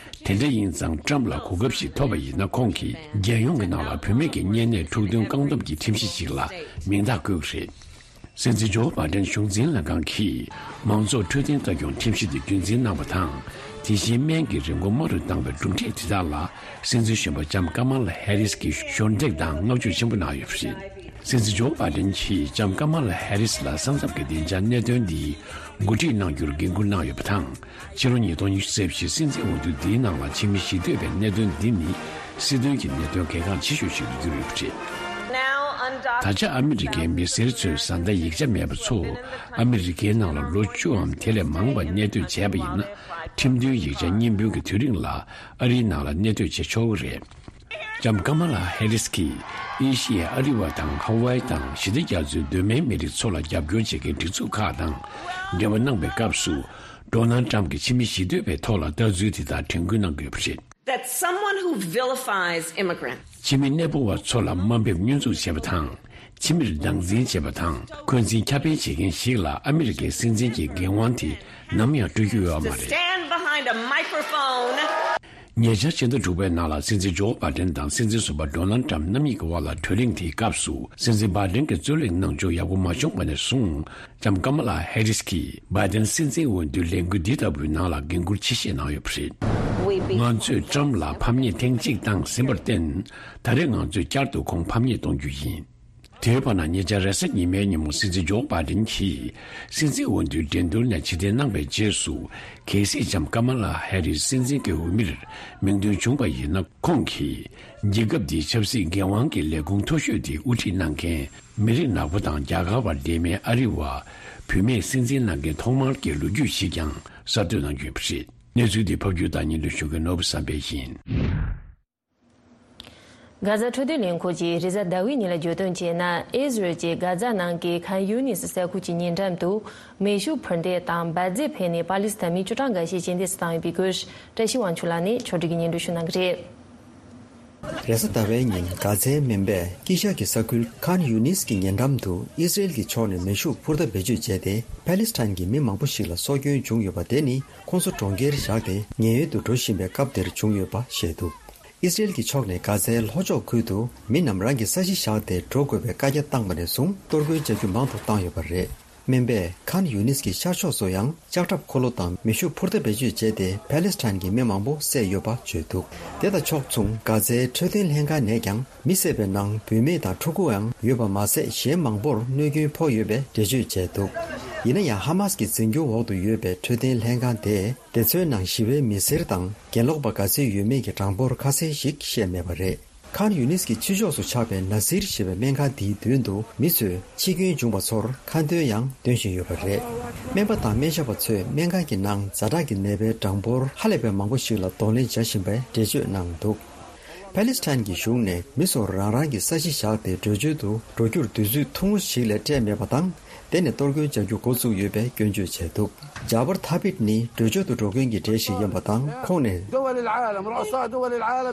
དེ་འདྲ་ཡིན་ཙང་ཊམ་ལ་གོ་སྐབས་ཤིག་ཐོབ་པ་ཡིན་ན་ཁོང་གིས་རྒྱལ་ཡོངས་ཀྱི་ནང་ལ་བུད་མེད་ཀྱི་གཉན་ནད་འཁྲུག་འདོན་བཀག་སྡོམ་གྱི་ཁྲིམས་གཞི་ཞིག་ལ་མིང་རྟགས་བཀོད་ཀྱི་རེད། སྲིད་འཛིན་ཇོ་བྷ་ཌེན་གཞུང་འཛིན་ལྷན་ཁང་གིས་མང་ཚོགས་འཕྲོད་བསྟེན་ལྟ་སྐྱོང་ཁྲིམས་གཞི་དེ་རྒྱུན་འཛིན་གནང་བ་དང་། དེ་བཞིན་སྨན་གྱི་རིན་གོང་དམའ་རུ་བཏང་བའི་གྲུབ་འབྲས་དེ་དག་ལ་སྲིད་འཛིན་གཞོན་པ་ལྕམ་ཀ་མ་ལ་ཧེ་རིས་ཀྱིས་ཞོར་འདེགས་དང་བསྔགས་བརྗོད་ཆེན་པོ་གནང་ཡོད་པ་རེད། སྲིད་འཛིན་ཇོ་བྷ་ཌེན་གྱིས་ལྕམ་ཀ་མ་ལ་ཧེ་རིས་ལ་ས་མཚམས་ཀྱི་བདེ་འཇགས་གནད་དོན་འདི་འགོ་ཁྲིད་གནང་རྒྱུར་འགན་འཁུར་གནང་ཡོད་པ་དང་། ཕྱི་ལོ་ཉིས་སྟོང་ཉི་ཤུ་རྩ་བཞི་སྲིད་འཛིན་འོས་བསྡུ་འདིའི་ནང་ལ་ཕྱི་མི་ཞི་གཏོད་པའི་གནད་དོན་འདི་ནི་སྲིད་དོན་གྱི་གནད་དོན་གལ་འགངས་ཆེ་ཤོས་ཤིག་ཏུ་གྱུར་ཡོད་པ་རེད། Now undocumented ད་ཆ་ཨ་མི་རི་ཀའི་མི་སེར་ཚོས་བཟའ་ཟླ་ཡིག་ཆ་མེད་པ་ཚོ་ཨ་མི་རི་ཀའི་ནང་ལ་ལོ་བཅུའམ་དེ་ལས་མང་བ་གནས་སྡོད་བྱས་པ་ཡིན་ན་ཁྲིམས་མཐུན་ཡིག་ཆ་རྙིང་དཔོན་གྱི་དུས་རིང་ལ་ཨ་རིའི་ནང་ལ་གནས་སྡོད་བྱེད་ཆོག་གི་རེད། ལྕམ་ཀ་མ་ལ་ཧེ་རིས་ཀྱིས་ཨེ་ཤི་ཡའི་ཨ་རི་བ་དང་ཧ་ཝའི་དང་ཞི་བདེ་རྒྱ་མཚོའི་གདོད་མའི་མི་རིགས་ཚོ་ལ་རྒྱབ་སྐྱོར་བྱེད་མཁན་སྒྲིག་འཛུགས་ཁག་དང་འབྲེལ་བ་གནང་པའི་སྐབས་སུ། ཌོ་ནལ་ཊམ་གྱིས་ཕྱི་མི་ཞི་གཏོད་པའི་ཐོག་ལ་ལྟ་ཚུལ་དེ་དག་དྲན་སྐུལ་གནང་དགོས་པ་རེད། That someone who vilifies immigrants ཕྱི་མི་གནས་སྤོ་བ་ཚོ་ལ་དམའ་འབེབས་བསྙོན་འཛུགས་བྱེད་པ་དང་། ཕྱི་མིར་སྡང་འཛིན་བྱེད་པ་དང་འཁོན་འཛིན་ཁྱབ་སྤེལ་བྱེད་མཁན་ཞིག་ལ་ཨ་མི་རི་ཀའི་སྲིད་འཛིན་གྱི་འགན་དབང་དེ་ནམ་ཡང་སྤྲོད་རྒྱུ་ཡོད་པ་མ་རེད། Stand behind a microphone. ཉེ་ཆར་ཕྱི་ཟླ་དྲུག་པའི་ནང་ལ་སྲིད་འཛིན་ཇོ་བྷ་ཌེན་དང་སྲིད་འཛིན་ཟུར་པ་ཌོ་ནལ་ཊམ་རྣམ་གཉིས་ཀྱི་དབར་ལ་གྲོས་གླེང་དེའི་སྐབས་སུ་སྲིད་འཛིན་བྷ་ཌེན་གྱི་རྩོད་གླེང་གནང་ཕྱོགས་ཡག་པོ་མ་བྱུང་བ་ནས་བཟུང་ལྕམ་ཀ་མ་ལ་ཧེ་རིས་ཀྱིས་བྷ་ཌེན་སྲིད་འཛིན་འོས་བསྡུའི་ལས་འགུལ་འདི་ལྟ་བུའི་ནང་ལ་འགན་འཁུར་ཆེ་བཞེས་གནང་ཡོད་པ་རེད། We be- ང་ཚོས་ཊམ་ལ་ཕམ་ཉེས་ཐེངས་གཅིག་བཏང་ཟིན་པར་བརྟེན། ད་རེས་ང་ཚོས་བསྐྱར་དུ་ཁོང་ཕམ་ཉེས་གཏོང་རྒྱུ་ཡིན། དེའི་བར་ན་ཉེ་ཆར་རེས་གཟའ་ཉི་མའི་ཉིན་མོ་སྲིད་འཛིན་ཇོ་བྷ་ཌེན་གྱིས་སྲིད་འཛིན་འོས་བསྡུའི་འགྲན་བསྡུར་ནས་ཕྱིར་འཐེན་གནང་བའི་རྗེས་སུ། གལ་སྲིད་ལྕམ་ཀ་མ་ལ་ཧེ་རིས་སྲིད་འཛིན་གྱི་འོས་མིར་མིང་ཐོན་བྱུང་བ་ཡིན་ན། ཁོང་གིས་རྒྱལ་ཁབ་འདིའི་ཆབ་སྲིད་འགན་དབང་གི་ལས་ཁུངས་མཐོ་ཤོས་དེ་དབུ་ཁྲིད་གནང་མཁན་མི་རིགས་ནག་པོ་དང་རྒྱ་གར་བར་འབྲེལ་མེད་ཨ་རི་བ་བུད་མེད་སྲིད་འཛིན་གནང་མཁན་ཐོག་མར་གྱི་ལོ་རྒྱུས་ཤིག་ཀྱང་གསར་གཏོད་གནང་རྒྱུ་ཡིན་པ་རེད། གནས་ཚུལ་འདི་ཕབ་སྒྱུར་དང་སྙན་སྒྲོན་ཞུ་མཁན་ནོར་བུ་བསམ་འཕེལ་ཡིན། གྷ་ཛ་འཕྲོད་བསྟེན་ལས་ཁུངས་ཀྱིས་རེས་གཟའ་ཟླ་བའི་ཉིན་ལ་བརྗོད་དོན་བྱས་ན། ཨི་ཟི་རལ་གྱིས་གྷ་ཛ་ནང་གི་ཁཱན་ཡུ་ནིས་ས་ཁུལ་གྱི་ཉེ་འགྲམ་དུ་མེ་ཤུགས་འཕུར་མདེལ་དང་འབར་རྫས་འཕེན་ནས་པ་ལི་སི་ཐན་མི་བཅུ་གྲངས་འགའ་ཤས་རྐྱེན་འདས་སུ་བཏང་ཡོད་པའི་སྐོར། བཀྲ་ཤིས་དབང་ཕྱུག་ལགས་ནས་ཕྱོགས་སྒྲིག་གིས་སྙན་སྒྲོན་ཞུ་གནང་གི་རེད། རེས་གཟའ་ཟླ་བའི་ཉིན་གྷ་ཛའི་སྨན་པས་དཀྱིལ་ཤར་གྱི་ས་ཁུལ་ཁཱན་ཡུ་ནིས་ཀྱི་ཉེ་འགྲམ་དུ་ཨི་ཟི་རལ་གྱི་ཕྱོགས་ནས་མེ་ཤུགས་འཕུར་མདའ་བེད་སྤྱོད་བྱས་ཏེ། པ་ལི་སི་ཐན་གྱི་མི་མང་པོ་ཞིག་ལ་སྲོག་སྐྱོན་བྱུང་ཡོད་པ་དེ་ནི། ཁོང་ཚོ་གྲོང་ཁྱེར་བཞག་སྟེ་ཉེན་གཡོལ་དུ་འགྲོ་བཞིན་པའི་སྐབས་དེར་བྱུང་ཡོད་པ་བཤད་འདུག་ཨི་སི་རེལ་གྱི་ཕྱོགས་ནས་གྷ་ཛའི་ལྷོ་ཕྱོགས་ཁུལ་དུ་མི་རྣམས་རང་གི་ས་གཞི་བཞག་སྟེ་འགྲོ་དགོས་པའི་བཀའ་རྒྱ་བཏང་བ་ནས་བཟུང་གཏོར་རྒོལ་བྱ་རྒྱུ་མང་དུ་བཏང་ཡོད་པ་རེད། སྨན་པས་ཁཱན་ཡུ་ནིས་ཀྱི་ཤར་ཕྱོགས་སུ་ཡང་ལྕགས་ཁྲབ་འཁོར་ལོ་དང་མེ་ཤུགས་འཕུར་མདའ་བེད་སྤྱོད་བྱས་ཏེ་པ་ལི་སི་ཐན་གྱི་མི་མང་པོ་བསད་ཡོད་པ་བརྗོད་འདུག་དེ་དང་ཕྱོགས་མཚུངས་གྷ་ཛའི་འཕྲོད་བསྟེན་ལྷན་ཁང་ནས་ཀྱང་མི་བསད་པའི་ནང་བུད་མེད་དང་ཕྲུ་གུའང་ཡོད་པ་མ་ཟད། གཞན་མང་པོར་གནོད་སྐྱོན་ཕོག་ཡོད་པའི་འགྲེལ་བརྗོད་བྱས་འདུག་ཡིན་ན་ཡང་། ཧ་མཱ་སི་ཀྱི་འཛིན་སྐྱོང་འོག་ཏུ་ཡོད་པའི་འཕྲོད་བསྟེན་ལྷན་ཁང་དེས། དེ་ཚོའི་ནང་ཞི་བའི་མི་སེར་དང་གྱེན་ལོག་པ་ག་ཚོད་ཡོད་མེད་ཀྱི་གྲངས་འབོར་ཁ་གསལ་ཞིག་བཤད་མེད་པ་རེད། ཁཱན་ཡུ་ནིས་ཀྱི་ཕྱི་ཕྱོགས་སུ་ཆགས་པའི་ན་སིར་ཞེས་པའི་སྨན་ཁང་འདིའི་མདུན་དུ་མི་ཚོས་འཆི་སྐྱོན་བྱུང་བ་ཚོར་ཁ་འདོན་ཡང་འདོན་བཞིན་ཡོད་པ་རེད། སྨན་པ་དང་སྨན་ཞབས་པ་ཚོས་སྨན་ཁང་གི་ནང་ཛ་དྲག་གི་ནད་པའི་གྲངས་འབོར་ཧ་ལས་པའི་མང་པོ་ཞིག་ལ་གདོང་ལེན་བྱ་བཞིན་པའི་འགྲེལ་བརྗོད་གནང་འདུག་པ་ལི་སི་ཐན་གྱི་གཞུང་ནས་མི་ཚོར་རང་རང་གི་ས་གཞི་བཞག་སྟེ་བྲོས་བྱོལ་དུ་འགྲོ་རྒྱུར་དུས་ཚོད་ཐུང་ངུ་ཞིག་ལས་སྤྲད་མེད་པ་དང་། དེ་ནས་གཏོར་རྒོལ་བྱ་རྒྱུ་འགོ་བཙུགས་ཡོད་པའི་སྐྱོན་བརྗོད་བྱས་འདུག་ཇཱ་བར་ཐ་བིད་ནི་བྲོས་བྱོལ་དུ་འགྲོ་མཁན་གྱི་གྲས་ཤིག་ཡིན་པ་དང་། ཁོང་ནས།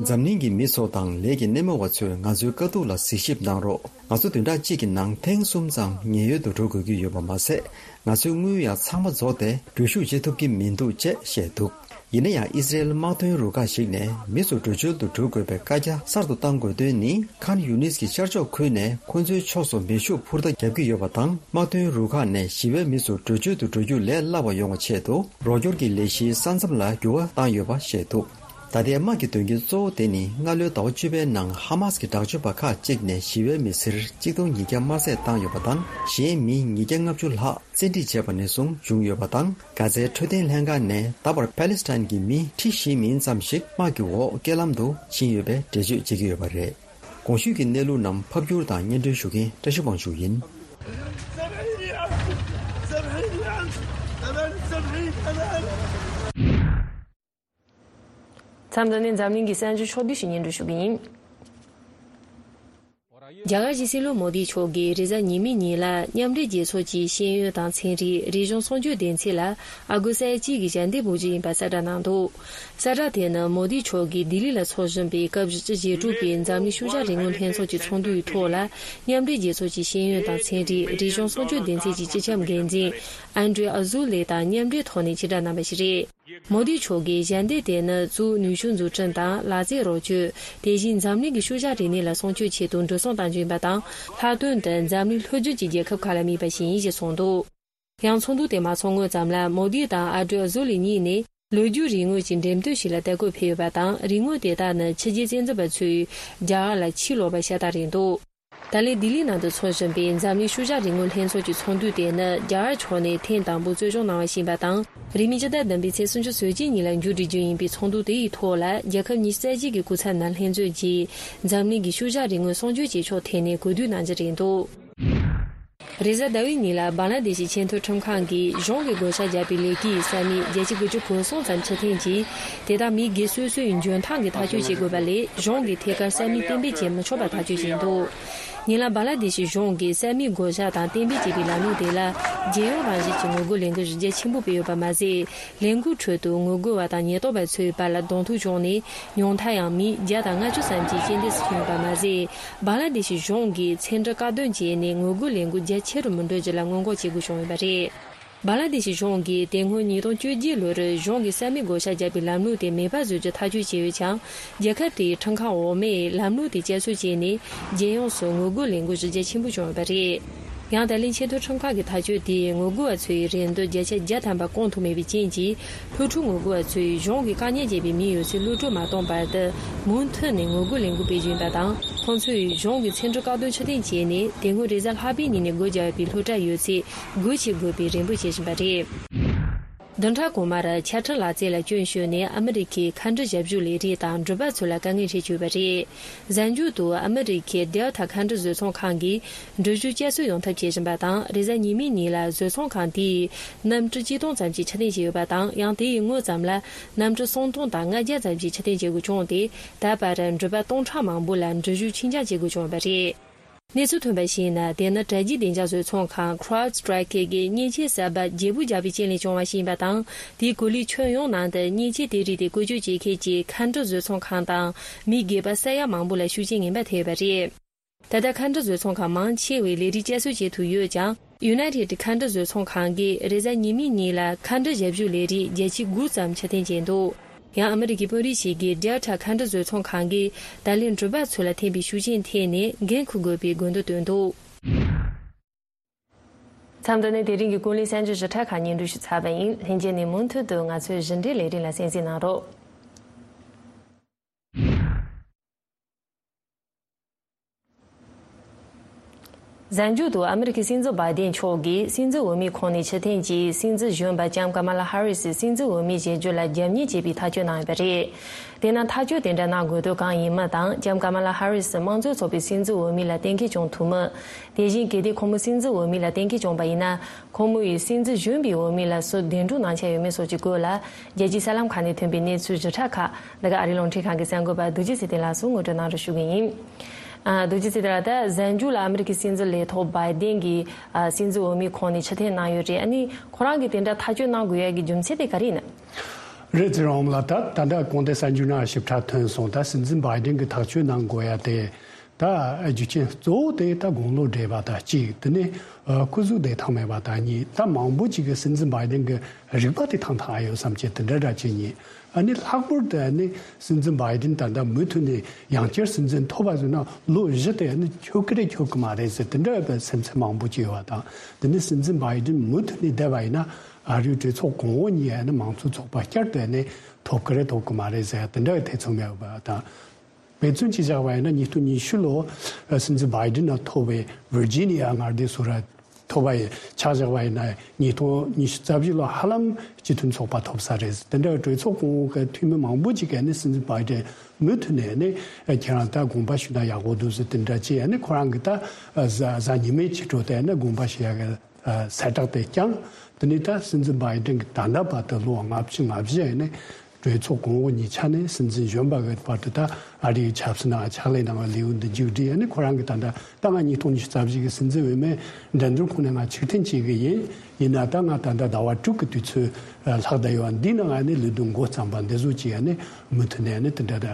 འཛམ་གླིང་གི་མི་ཚོ་དང་ལས་ཀྱི་སྣེ་མོ་བ་ཚོས་ང་ཚོའི་དཀའ་སྡུག་ལ་གཟིགས་ཞིབ་གནང་རོགས། ང་ཚོ་བདུན་ཕྲག་གཅིག་གི་ནང་ཐེངས་གསུམ་ཙམ་ཉེན་གཡོལ་དུ་འགྲོ་དགོས་ཀྱི་ཡོད་པ་མ་ཟད། ང་ཚོའི་དངུལ་ཡང་ཚང་མ་རྫོགས་ཏེ་འགྲུལ་བཞུད་བྱེད་ཐུབ་ཀྱི་མི་འདུག་ཅེས་བཤད་འདུག་ཡིན་ན་ཡང་ཨི་སི་རེལ་དམག་དོན་རུ་ཁག་ཞིག་ནས་མི་ཚོ་བྲོས་བྱོལ་དུ་འགྲོ་དགོས་པའི་བཀའ་རྒྱ་གསར་དུ་བཏང་དགོས་དོན་ནི། ཁཱན་ཡུ་ནིས་ཀྱི་ཤར་ཕྱོགས་ཁུལ་ནས་ཁོ་ཚོའི་ཕྱོགས་སུ་མེ་ཤུགས་འཕུར་མདའ་བརྒྱབ་ཀྱི་ཡོད་པ་དང་། དམག་དོན་རུ་ཁག་ནས་ཞི་བའི་མི་ཚོ་བྲོས་བྱོལ་དུ་འགྲོ་རྒྱུ་ལས་སླ་བ་ཡོང་བའི་ཆེད་དུ། རོགས་སྐྱོར་གྱི་ལས་གཞིའི་ས་མཚམས་ལ་འགྱུར་བ་བཏང་ཡོད་པ་ཤེས་ཐུབ། ད་ལྟའི་དམག་གི་དོན་རྐྱེན་གཙོ་བོ་དེ་ནི། སྔ་ལོའི་ཟླ་བ་བཅུ་པའི་ནང་ཧ་མཱས་ཀྱི་དྲག་སྤྱོད་པ་ཁག་ཅིག་ནས་ཞི་བའི་མི་སེར་ཆིག་སྟོང་ཉིས་བརྒྱ་དམར་བསད་བཏང་ཡོད་པ་དང་། གཞན་མི་ཉིས་བརྒྱ་ལྔ་བཅུ་ལྷག་བཙན་ཁྲིད་བྱས་པ་ནས་བཟུང་བྱུང་ཡོད་པ་དང་། གྷ་ཛའི་འཕྲོད་བསྟེན་ལྷན་ཁང་ནས་ད་བར་ཕཱ་ལེ་སི་ཐན་གྱི་མི་ཁྲི་བཞི་མིན་ཙམ་ཞིག་དམག་གི་འོག་རྐྱེན་ལམ་དུ་ཕྱིན་ཡོད་པའི་འགྲེལ་བརྗོད་བྱེད་ཀྱི་ཡོད་པ་རེད། གོང་ཞུས་ཀྱི་གནས་ལུགས་རྣམས་ཕབ་སྒྱུར་དང་སྙན་སྒྲོན་ཞུ་མཁན་བཀྲ་ཤིས་དབང་ཕྱུག་ཡིན། མཚམས་འདི་ནས་འཛམ་གླིང་གི་གསར་འགྱུར་ཕྱོགས་བསྡུས་ཤིག་སྙན་སྒྲོན་ཞུ་གི་ཡིན། རྒྱ་གར་གྱི་སྲིད་བློན་མོ་དི་མཆོག་གིས་རེས་གཟའ་ཉི་མའི་ཉིན་ལ་མཉམ་འབྲེལ་རྒྱལ་ཚོགས་ཀྱི་ཤེས་ཡོན་དང་ཚན་རིག་རིག་གཞུང་སྲུང་སྐྱོབ་སྡེ་ཚན་ལ་ཨ་སྒོར་ས་ཡ་གཅིག་གི་ཞལ་འདེབས་འབུལ་རྒྱུ་ཡིན་པ་གསལ་བསྒྲགས་གནང་འདུག་གསལ་བསྒྲགས་དེ་ནི་མོ་དི་མཆོག་གིས་ལྡི་ལི་ལ་འཚོགས་བཞིན་པའི་སྐབས་བཞི་བཅུ་ཞེ་དྲུག་པའི་འཛམ་གླིང་ཤུལ་བཞག་རིག་དངོས་ལྷན་ཚོགས་ཀྱི་ཚོགས་འདུའི་ཐོག་ལ། མཉམ་འབྲེལ་རྒྱལ་ཚོགས་ཀྱི་ཤེས་ཡོན་དང་ཚན་རིག་རིག་གཞུང་སྲུང་སྐྱོབ་སྡེ་ཚན་གྱི་སྤྱི་ཁྱབ་འགན་འཛིན་ཨན་ཌྲེ་ཨ་ཟུ་ལེ་དང་མཉམ་འབྲེལ་ཐོག་ནས་ཕྱི་བསྒྲགས་གནང་བ་ཞིག་རེད། མོ་དི་མཆོག་གིས་ཞལ་འདེབས་དེ་ནི་གཙོ་བོ་ནུས་ཤུགས་འཛུགས་སྐྲུན་དང་ལག་རྩལ་རོགས་སྐྱོར། དེ་བཞིན་འཛམ་གླིང་གི་ཤུལ་བཞག་རིག་གནས་ལ་སྲུང་སྐྱོབ་ཆེད་དུ་འགྲོ་སོང་གཏོང་རྒྱུ་ཡིན་པ་དང་། ལྷག་དོན་དུ་འཛམ་གླིང་ལྷོ་རྒྱུད་ཀྱི་རྒྱལ་ཁབ་ཁག་ལ་དམིགས་པ་ཞིག་ཡིན་ཞེས་གསུངས་འདུག་ཡང་ཚོགས་འདུ་དེ་མ་ཚོགས་སྔོན་ཙམ་ལ་མོ་དི་དང་ཨ་ཌྲེ་ཨ་ཟུ་ལི་གཉིས་ནས་ལོ་རྒྱུས་རིག་དངོས་ཀྱི་འགྲེམས་སྟོན་ཞིག་ལ་བལྟ་སྐོར་ཕེབས་ཡོད་པ་དང་། རིག་དངོས་དེ་དག་ནི་ཕྱི་རྒྱལ་བཙན་འཛུལ་པ་ཚོས་རྒྱ་གར་ལ་ཕྱིར་ལོག་པ་ཤ་སྟག་རེད་འདུག་ད་ལན་ལྡི་ལིའི་ནང་དུ་འཚོགས་བཞིན་པའི་འཛམ་གླིང་ཤུལ་བཞག་རིག་དངོས་ལྷན་ཚོགས་ཀྱི་ཚོགས་འདུ་དེ་ནི་རྒྱ་གར་ཕྱོགས་ནས་ཐེངས་དང་པོ་གཙོ་སྐྱོང་གནང་བ་ཞིག་ཡིན་པ་དང་། རིང་མིན་སྤྱི་ཟླ་བདུན་པའི་ཚེས་སུམ་ཅུ་སོ་གཅིག་ཉིན་ལ་མཇུག་སྒྲིལ་རྒྱུ་ཡིན་པའི་ཚོགས་འདུ་དེ་ཡི་ཐོག་ལ། རྒྱལ་ཁབ་ཉི་ཤུ་རྩ་གཅིག་གི་སྐུ་ཚབ་ནས་ལྷན་འཛོམས་ཀྱིས་འཛམ་གླིང་གི་ཤུལ་བཞག་རིག་དངོས་སྲུང་སྐྱོབ་བྱེད་ཕྱོགས་ཐད་ནས་གོ་བསྡུར་གནང་རྒྱུ་རེད་འདུག་རེས་གཟའ་ཟླ་བའི་ཉིན་ལ་བང་ལ་དེ་ཤི་ཆེས་མཐོའི་ཁྲིམས་ཁང་གིས་གཞུང་གི་བགོ་བཤའ་བརྒྱབ་པའི་ལས་ཀའི་ས་མིག་བརྒྱ་ཆ་དགུ་བཅུ་གོ་གསུམ་ཙམ་ཕྱིར་འཐེན་གྱིས། དེ་དག་མི་སྒེར་སོ་སོའི་འཇོན་ཐང་གིས་ཐག་གཅོད་བྱེད་དགོས་པ་ལས། གཞུང་གིས་ཐད་ཀར་ས་མིག་གཏན་འབེབས་བྱེད་མི་ཆོག་པ་ཐག་གཅོད་བྱས་འདུག་ཉེ་ལམ་བང་ལ་དེ་ཤི་གཞུང་གིས་ས་མིག་བགོ་བཤའ་དང་གཏན་འབེབས་བྱེད་པའི་ལམ་ལུགས་དེ་ལ་རྒྱལ་ཡོངས་རང་བཞིན་གྱི་ངོ་རྒོལ་ལས་འགུལ་གཞི་རྒྱ་ཆེན་པོ་སྤེལ་ཡོད་པ་མ་ཟད། ལས་འགུལ་ཁྲོད་དུ་ངོ་རྒོལ་བ་དང་ཉེན་རྟོག་པ་ཚོའི་བར་ལ་གདོང་ཐུག་བྱུང་ནས། ཉུང་མཐའ་ཡང་མི་བརྒྱ་དང་ལྔ་བཅུ་ཙམ་གྱི་རྐྱེན་འདས་སུ་ཕྱིན་ཡོད་པ་མ་ཟད། བང་ལ་དེ་ཤི་གཞུང་གིས་ཚན་རིག་བཀག་སྡོམ་བྱས་ནས་ངོ་རྒོལ་ལས་འགུལ་རྒྱ་ཆེ་རུ་མི་འགྲོ་རྒྱུ་ལ་སྔོན་འགོག་བྱེད་དགོས་བྱུང་ཡོད་པ་རེད། བང་ལ་དེ་ཤི་གཞུང་གིས་དེ་སྔོན་ཉིས་སྟོང་བཅོ་བརྒྱད་ལོར་གཞུང་གིས་ས་མིག་བགོ་བཤའ་བརྒྱབ་པའི་ལམ་ལུགས་དེ་མེད་པ་བཟོ་རྒྱུ་ཐག་གཅོད་བྱས་ཡོད་ཀྱང་། རྒྱལ་ཁབ་དེའི་ཁྲིམས་ཁང་འོག་མས་ལམ་ལུགས་དེ་བསྐྱར་གསོ་བྱས་ནས། རྒྱལ་ཡོངས་སུ་ངོ་རྒོལ་ལས་འགུལ་གཞི་རྒྱ་ཆེན་པོ་བྱུང་ཡོད་པ་རེད། ཡང་ད་ལན་ཆེས་མཐོའི་ཁྲིམས་ཁང་གི་ཐག་གཅོད་དེས་ངོ་རྒོལ་བ་ཚོའི་རེ་འདུན་བརྒྱ་ཆ་བརྒྱ་ཐམ་པ་སྐོང་ཐུབ་མེད་པའི་རྐྱེན་གྱིས། སློབ་ཕྲུག་ངོ་རྒོལ་བ་ཚོས་གཞུང་གིས་བཀག་ཉར་བྱས་པའི་མིའི་ཡོད་ཚད་གློད་གྲོལ་མ་གཏོང་བར་དུ། མུ་མཐུད་ནས་ངོ་རྒོལ་ལས་འགུལ་སྤེལ་རྒྱུ་ཡིན་པ་དང་། ཁོང་ཚོས་གཞུང་གི་ཚན་རིག་བཀག་སྡོམ་ཕྱིར་འཐེན་བྱས་ནས། དེ་སྔོན་རེས་གཟའ་ལྷག་པའི་ཉིན་ནས་སྒོ་བརྒྱབ་པའི་སློབ་གྲྭ་ཡོད་ཚད་སྒོ་ཕྱེ་དགོས་པའི་རེ་འབོད་བྱེད་བཞིན་པ་རེད། བདུན་ཕྲག་གོང་མར་ཆ་འཕྲིན་ལག་རྩལ་ལ་སྐྱོན་བརྗོད་ནས་ཨ་མི་རི་ཀའི་མཁའ་འགྲུལ་ཞབས་ཞུ་ལས་རིགས་དང་འགྲུལ་པ་ཚོ་ལ་དཀའ་ངལ་འཕྲད་ཀྱི་ཡོད་པ་རེད། གཟའ་མཇུག་ཏུ་ཨ་མི་རི་ཀའི་Delta་མཁའ་འགྲུལ་བཟོ་ཚོང་ཁང་གིས་འགྲུལ་བཞུད་བསྐྱར་གསོ་ཡོང་ཐབས་བྱེད་བཞིན་པ་དང་། རེས་གཟའ་ཉི་མའི་ཉིན་ལ་བཟོ་ཚོང་ཁང་དེས་གནམ་གྲུ་གཅིག་སྟོང་ཙམ་ཞིག་ཕྱིར་འཐེན་བྱས་ཡོད་པ་དང་། ཡང་དེ་ཡི་སྔོན་ཙམ་ལ་གནམ་གྲུ་སུམ་སྟོང་དང་ལྔ་བརྒྱ་ཙམ་ཞིག་ཕྱིར་འཐེན་བྱེད་དགོས་བྱུང་སྟེ། ད་བར་འགྲུལ་པ་སྟོང་ཕྲག་མང་པོ་ལ་འགྲུལ་བཞུད་ཕྱིར་འགྱངས་བྱེད་དགོས་བྱུང་བ་རེད། གནས་ཚུལ་ཐོན་པར་གཞིགས་ན། དེ་ནི་དྲ་རྒྱའི་བདེ་འཇགས་བཟོ་ཚོང་ཁང་CrowdStrike་གིས་མཉེན་ཆས་གསར་པ་བརྗེ་པོ་བརྒྱབ་པའི་རྐྱེན་ལས་བྱུང་བ་ཞིག་ཡིན་པ་དང་། དེའི་གོ་ལའི་ཁྱོན་ཡོངས་ནང་དུ་མཉེན་ཆས་དེ་རིགས་དེ་བཀོལ་སྤྱོད་བྱེད་མཁན་གྱི་མཁའ་འགྲུལ་བཟོ་ཚོང་ཁང་དང་། མི་སྒེར་པ་ས་ཡ་མང་པོ་ལ་ཤུགས་རྐྱེན་ངན་པ་ཐེབས་ཡོད་པ་རེད། ད་ལྟ་མཁའ་འགྲུལ་བཟོ་ཚོང་ཁང་མང་ཆེ་བས་ལས་རིགས་བསྐྱར་གསོ་བྱེད་ཐུབ་ཡོད་ཀྱང་། United་མཁའ་འགྲུལ་བཟོ་ཚོང་ཁང་གིས་རེས་གཟའ་ཉི་མའི་ཉིན་ལ་མཁའ་འགྲུལ་ཞབས་ཞུ་ལས་རིགས་བརྒྱ་ཆ་དགུ་ཙམ་ཕྱིར་འཐེན་བྱས་འདུག་ཡང་ཨ་མི་རི་ཀའི་དཔོན་རིགས་ཤིག་གིས་Delta་མཁའ་འགྲུལ་བཟོ་ཚོང་ཁང་གིས་ད་ལན་འགྲུལ་པ་ཚོ་ལ་ཐེབས་པའི་ཤུགས་རྐྱེན་ཐད་ནས་འགན་འཁུར་དགོས་པའི་དགོས་འདུན་བཏོན་འདུག་མཚམས་འདི་ནས་དེ་རིང་གི་ཀུན་གླེང་གསར་འགྱུར་ཞིབ་ཕྲ་ཁག་སྙན་སྒྲོན་ཞུས་ཚར་བ་ཡིན། ལྷན་རྒྱས་ནས་མུ་མཐུད་དུ་ང་ཚོའི་ཞིབ་འགྲེལ་ལས་རིམ་ལ་གསན་གཟིགས་གནང་རོགས། གཟའ་མཇུག་ཏུ་ཨ་མི་རི་ཀའི་སྲིད་འཛིན་བྷའི་ཏན་མཆོག་གིས་སྲིད་འཛིན་འོས་མིའི་ཁོངས་ནས་ཕྱིར་འཐེན་གྱིས། སྲིད་འཛིན་གཞོན་པ་ལྕམ་ཀ་མ་ལ་ཧ་རི་སི་སྲིད་འཛིན་འོས་མི་བཞེས་རྒྱུ་ལ་རྒྱབ་གཉེར་བྱེད་པའི་ཐག་གཅོད་གནང་ཡོད་པ་རེད། དེས་ན་ཐག་གཅོད་དེ་འདྲ་གནང་དགོས་དོན་གང་ཡིན་མིན་དང་། ལྕམ་ཀ་མ་ལ་ཧ་རི་སི་དམངས་གཙོའི་ཚོགས་པའི་སྲིད་འཛིན་འོས་མི་ལ་གཏན་འཁེལ་བྱུང་ཐུབ་མིན། དེ་བཞིན་གལ་ཏེ་ཁོང་མོ་སྲིད་འཛིན་འོས་མི་ལ་གཏན་འཁེལ་བྱུང་བ་ཡིན་ན། ཁོང་མོ་ཡིས་སྲིད་འཛིན་གཞོན་པའི་འོས་མི་ལ་སུ་གདན་དྲངས་གནང་འཆར་ཡོད་མེད་སོགས་ཀྱི་སྐོར་ལ། རྒྱལ་སྤྱིའི་གསར་ལམ་ཁག་ནས་ཐོན་པའི་གནས་ཚུལ་ཞིབ་ཕྲ་ཁག་འདི་ག་ཨ་རིའི་རླུང་འཕྲིན་ཁང་གི་གསར་འགོད་པ་རྡོ་རྗེ་ཚེ་བརྟན་ལགས་སུ་ངོ་སྤྲོད་གནང་རོགས་ཞུ་གི་ཡིན། ཨ། རྡོ་རྗེ་ཚེ་བརྟན་ལགས། ད་གཟའ་མཇུག་ལ་ཨ་མི་རི་ཀའི་སྲིད་འཛིན་ལས་ཐོག་བྷའི་ཏན་གྱིས་ཨ་སྲིད་འཛིན་འོས་མིའི་ཁོངས་ནས་ཕྱིར་འཐེན་གནང་ཡོད་རེད། ཨ་ནི་ཁོ་རང་གིས་དེ་འདྲ་ཐག་གཅོད་གནང་དགོས་ཡ་གི་རྒྱུ་མཚན་དེ་ག་རེ་ཡིན་ན། རེད། ཚེ་རིང་ལགས། ད་ད་ལྟ་གོང་དེ་གསར་འགྱུར་ནང་ཞིབ་ཕྲ་ཐོན་སོང་། ད་སྲིད་འཛིན་བྷའི་ཏན་གྱིས་ཐག་གཅོད་གནང་དགོས་ཡ་དེ། ད་རྒྱུ་རྐྱེན་གཙོ་བོ་དེ་ད་དགུང་ལོ་བགྲེས་པ་དང་གཅིག་དེ་ནས་ཨ་སྐུ་གཟུགས་བདེ་ཐང་མེད་པ་དང་གཉིས། ད་མང་པོ་ཅིག་གིས་སྲིད་འཛིན་བྷའི་ཌེན་གྱི་རིག་པ་དེ་ཐང་ཐང་ཨེ་ཡོད་བསམ་གྱི་དེ་འདྲ་འདྲ་བྱེད་ཉེན། ཨ་ནི་ལྷག་པར་དུ་ཨ་ནི་སྲིད་འཛིན་བྷའི་ཌེན་ད་ལྟ་མུ་མཐུད་ནས་ཡང་བསྐྱར་སྲིད་འཛིན་ཐོབ་པ་ཟེར་ན་ལོ་བཞི་དེ་ཨ་ནི་འཁྱོལ་གི་རེད་འཁྱོལ་གི་མ་རེད་ཟེར་དེ་འདྲ་བའི་སེམས་ཚེགས་མང་པོ་ཅིག་ཡོད་པ་དང་། དེ་ནས་སྲིད་འཛིན་བྷའི་ཌེན་མུ་མཐུད་ནས་བསྡད་པ་ཡིན་ན་ཨ་རིའི་གྲོས་ཚོགས་གོང་འོག་གཉིས་ཨ་ནི་མང་གཙོ་ཚོགས་པ་བསྐྱར་དུ་ཨ་ནི་ཐོབ་གི་རེད་ཐོབ་གི་མ་རེད་ཟེར་དེ་འདྲ་བའི་ཐེ་ཚོམ་ཡོད་པ་དང་། དཔེ་མཚོན་གྱིས་བཞག་པ་ཡིན་ན་ཉིས་སྟོང་ཉི་ཤུ་ལོ་སྲིད་འཛིན་བྷའི་ཌེན་ལ་ཐོབ་པའི་ཝིར་ཇི་ནི་ཡ་མངའ་སྡེ་སུ་ར་ཐོབ་པ་ཡི་ཆ་བཞག་པ་ཡིན་ན་ཉིས་སྟོང་ཉི་ཤུ་རྩ་བཞི་ལོ་ཧ་ལམ་སྤྱི་མཐུན་ཚོགས་པ་ཐོབ་ས་རེད། དེ་འདྲ་གྲོས་ཚོགས་གོང་འོག་གི་འཐུས་མི་མང་པོ་ཅིག་གིས་ནི་སྲིད་འཛིན་བྷའི་ཌེན་མུ་མཐུད་ནས་ནི་ཁྱེད་རང་ད་དགོངས་པ་ཞུས་ན་ཡག་པོ་འདུག་ཟེར་དེ་འདྲ་བྱས་ནི་ཁོ་རང་གི་ད་གཟའ་གཟའ་ཉི་མའི་ཕྱི་དྲོ་དེ་ནི་དགོངས་པ་ཞུ་ཡག་གི་གསལ་བསྒྲགས་དེ་བསྐྱངས། དེ་ནས་ད་སྲིད་འཛིན་བྷའི་ཌེན་གྱི་ད་ལྟ་བར་དུ་ལོ་ལྔ་བཅུ་ང་བཞི་ཡིན་ནས་གྲོས་ཚོགས་གོང་འོག་གཉིས་ཆ་ནས་སྲིད་འཛིན་གཞོན་པ་གི་བར་དུ་ད་ཨ་རིའི་ཆབ་སྲིད་ནང་ཕྱག་ལས་གནང་བའི་ལེའུ་འདི་མཇུག་སྒྲིལ་ཡ་ནི་ཁོ་རང་གི་ད་ལྟ་ད་ང་ཉིས་སྟོང་ཉི་ཤུ་རྩ་བཞི་གི་སྲིད་འཛིན་འོས་མིའི་འགྲན་བསྡུར་ཁོངས་ནས་ང་ཕྱིར་འཐེན་བྱེད་གི་ཡིན། ཡིན་ན་ད་ང་ད་ལྟ་ཟླ་བ་དྲུག་གི་དུས་ཚོད་ལྷག་བསྡད་ཡོད། འདི་ནང་ང་ནི་ལས་དོན་འགོ་བརྩམས་པ་འདི་བཟོ་བྱེད་ཡ་ནི་མུ་མཐུད་ནས་ནི་དེ་འདྲ་ད་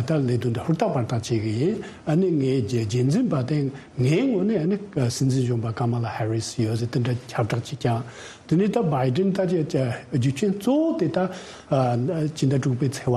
ད་ལས་དོན་འདི་ཧུར་ཐག་པར་ཐག་བྱེད་གི་ཡིན། ཨ་ནི་ངའི་རྒྱལ་རྒྱལ་འཛིན་པ་དེ་ངའི་ངོས་ནས་ཨ་ནི་སྲིད་འཛིན་གཞོན་པ་ཀ་མ་ལ་ཧེ་རི་སི་ཡོད་ཟེར་དེ་འདྲ་ཁྱབ་བསྒྲགས་ཅིག་ཀྱང་། དེ་ནས་ད་བྷའི་ཌེན་ད་ཅི་རྒྱུ་རྐྱེན་གཙོ་བོ་དེ་ད་ཕྱི་ཟླ་དྲུག་པའི་ཚེས་པ་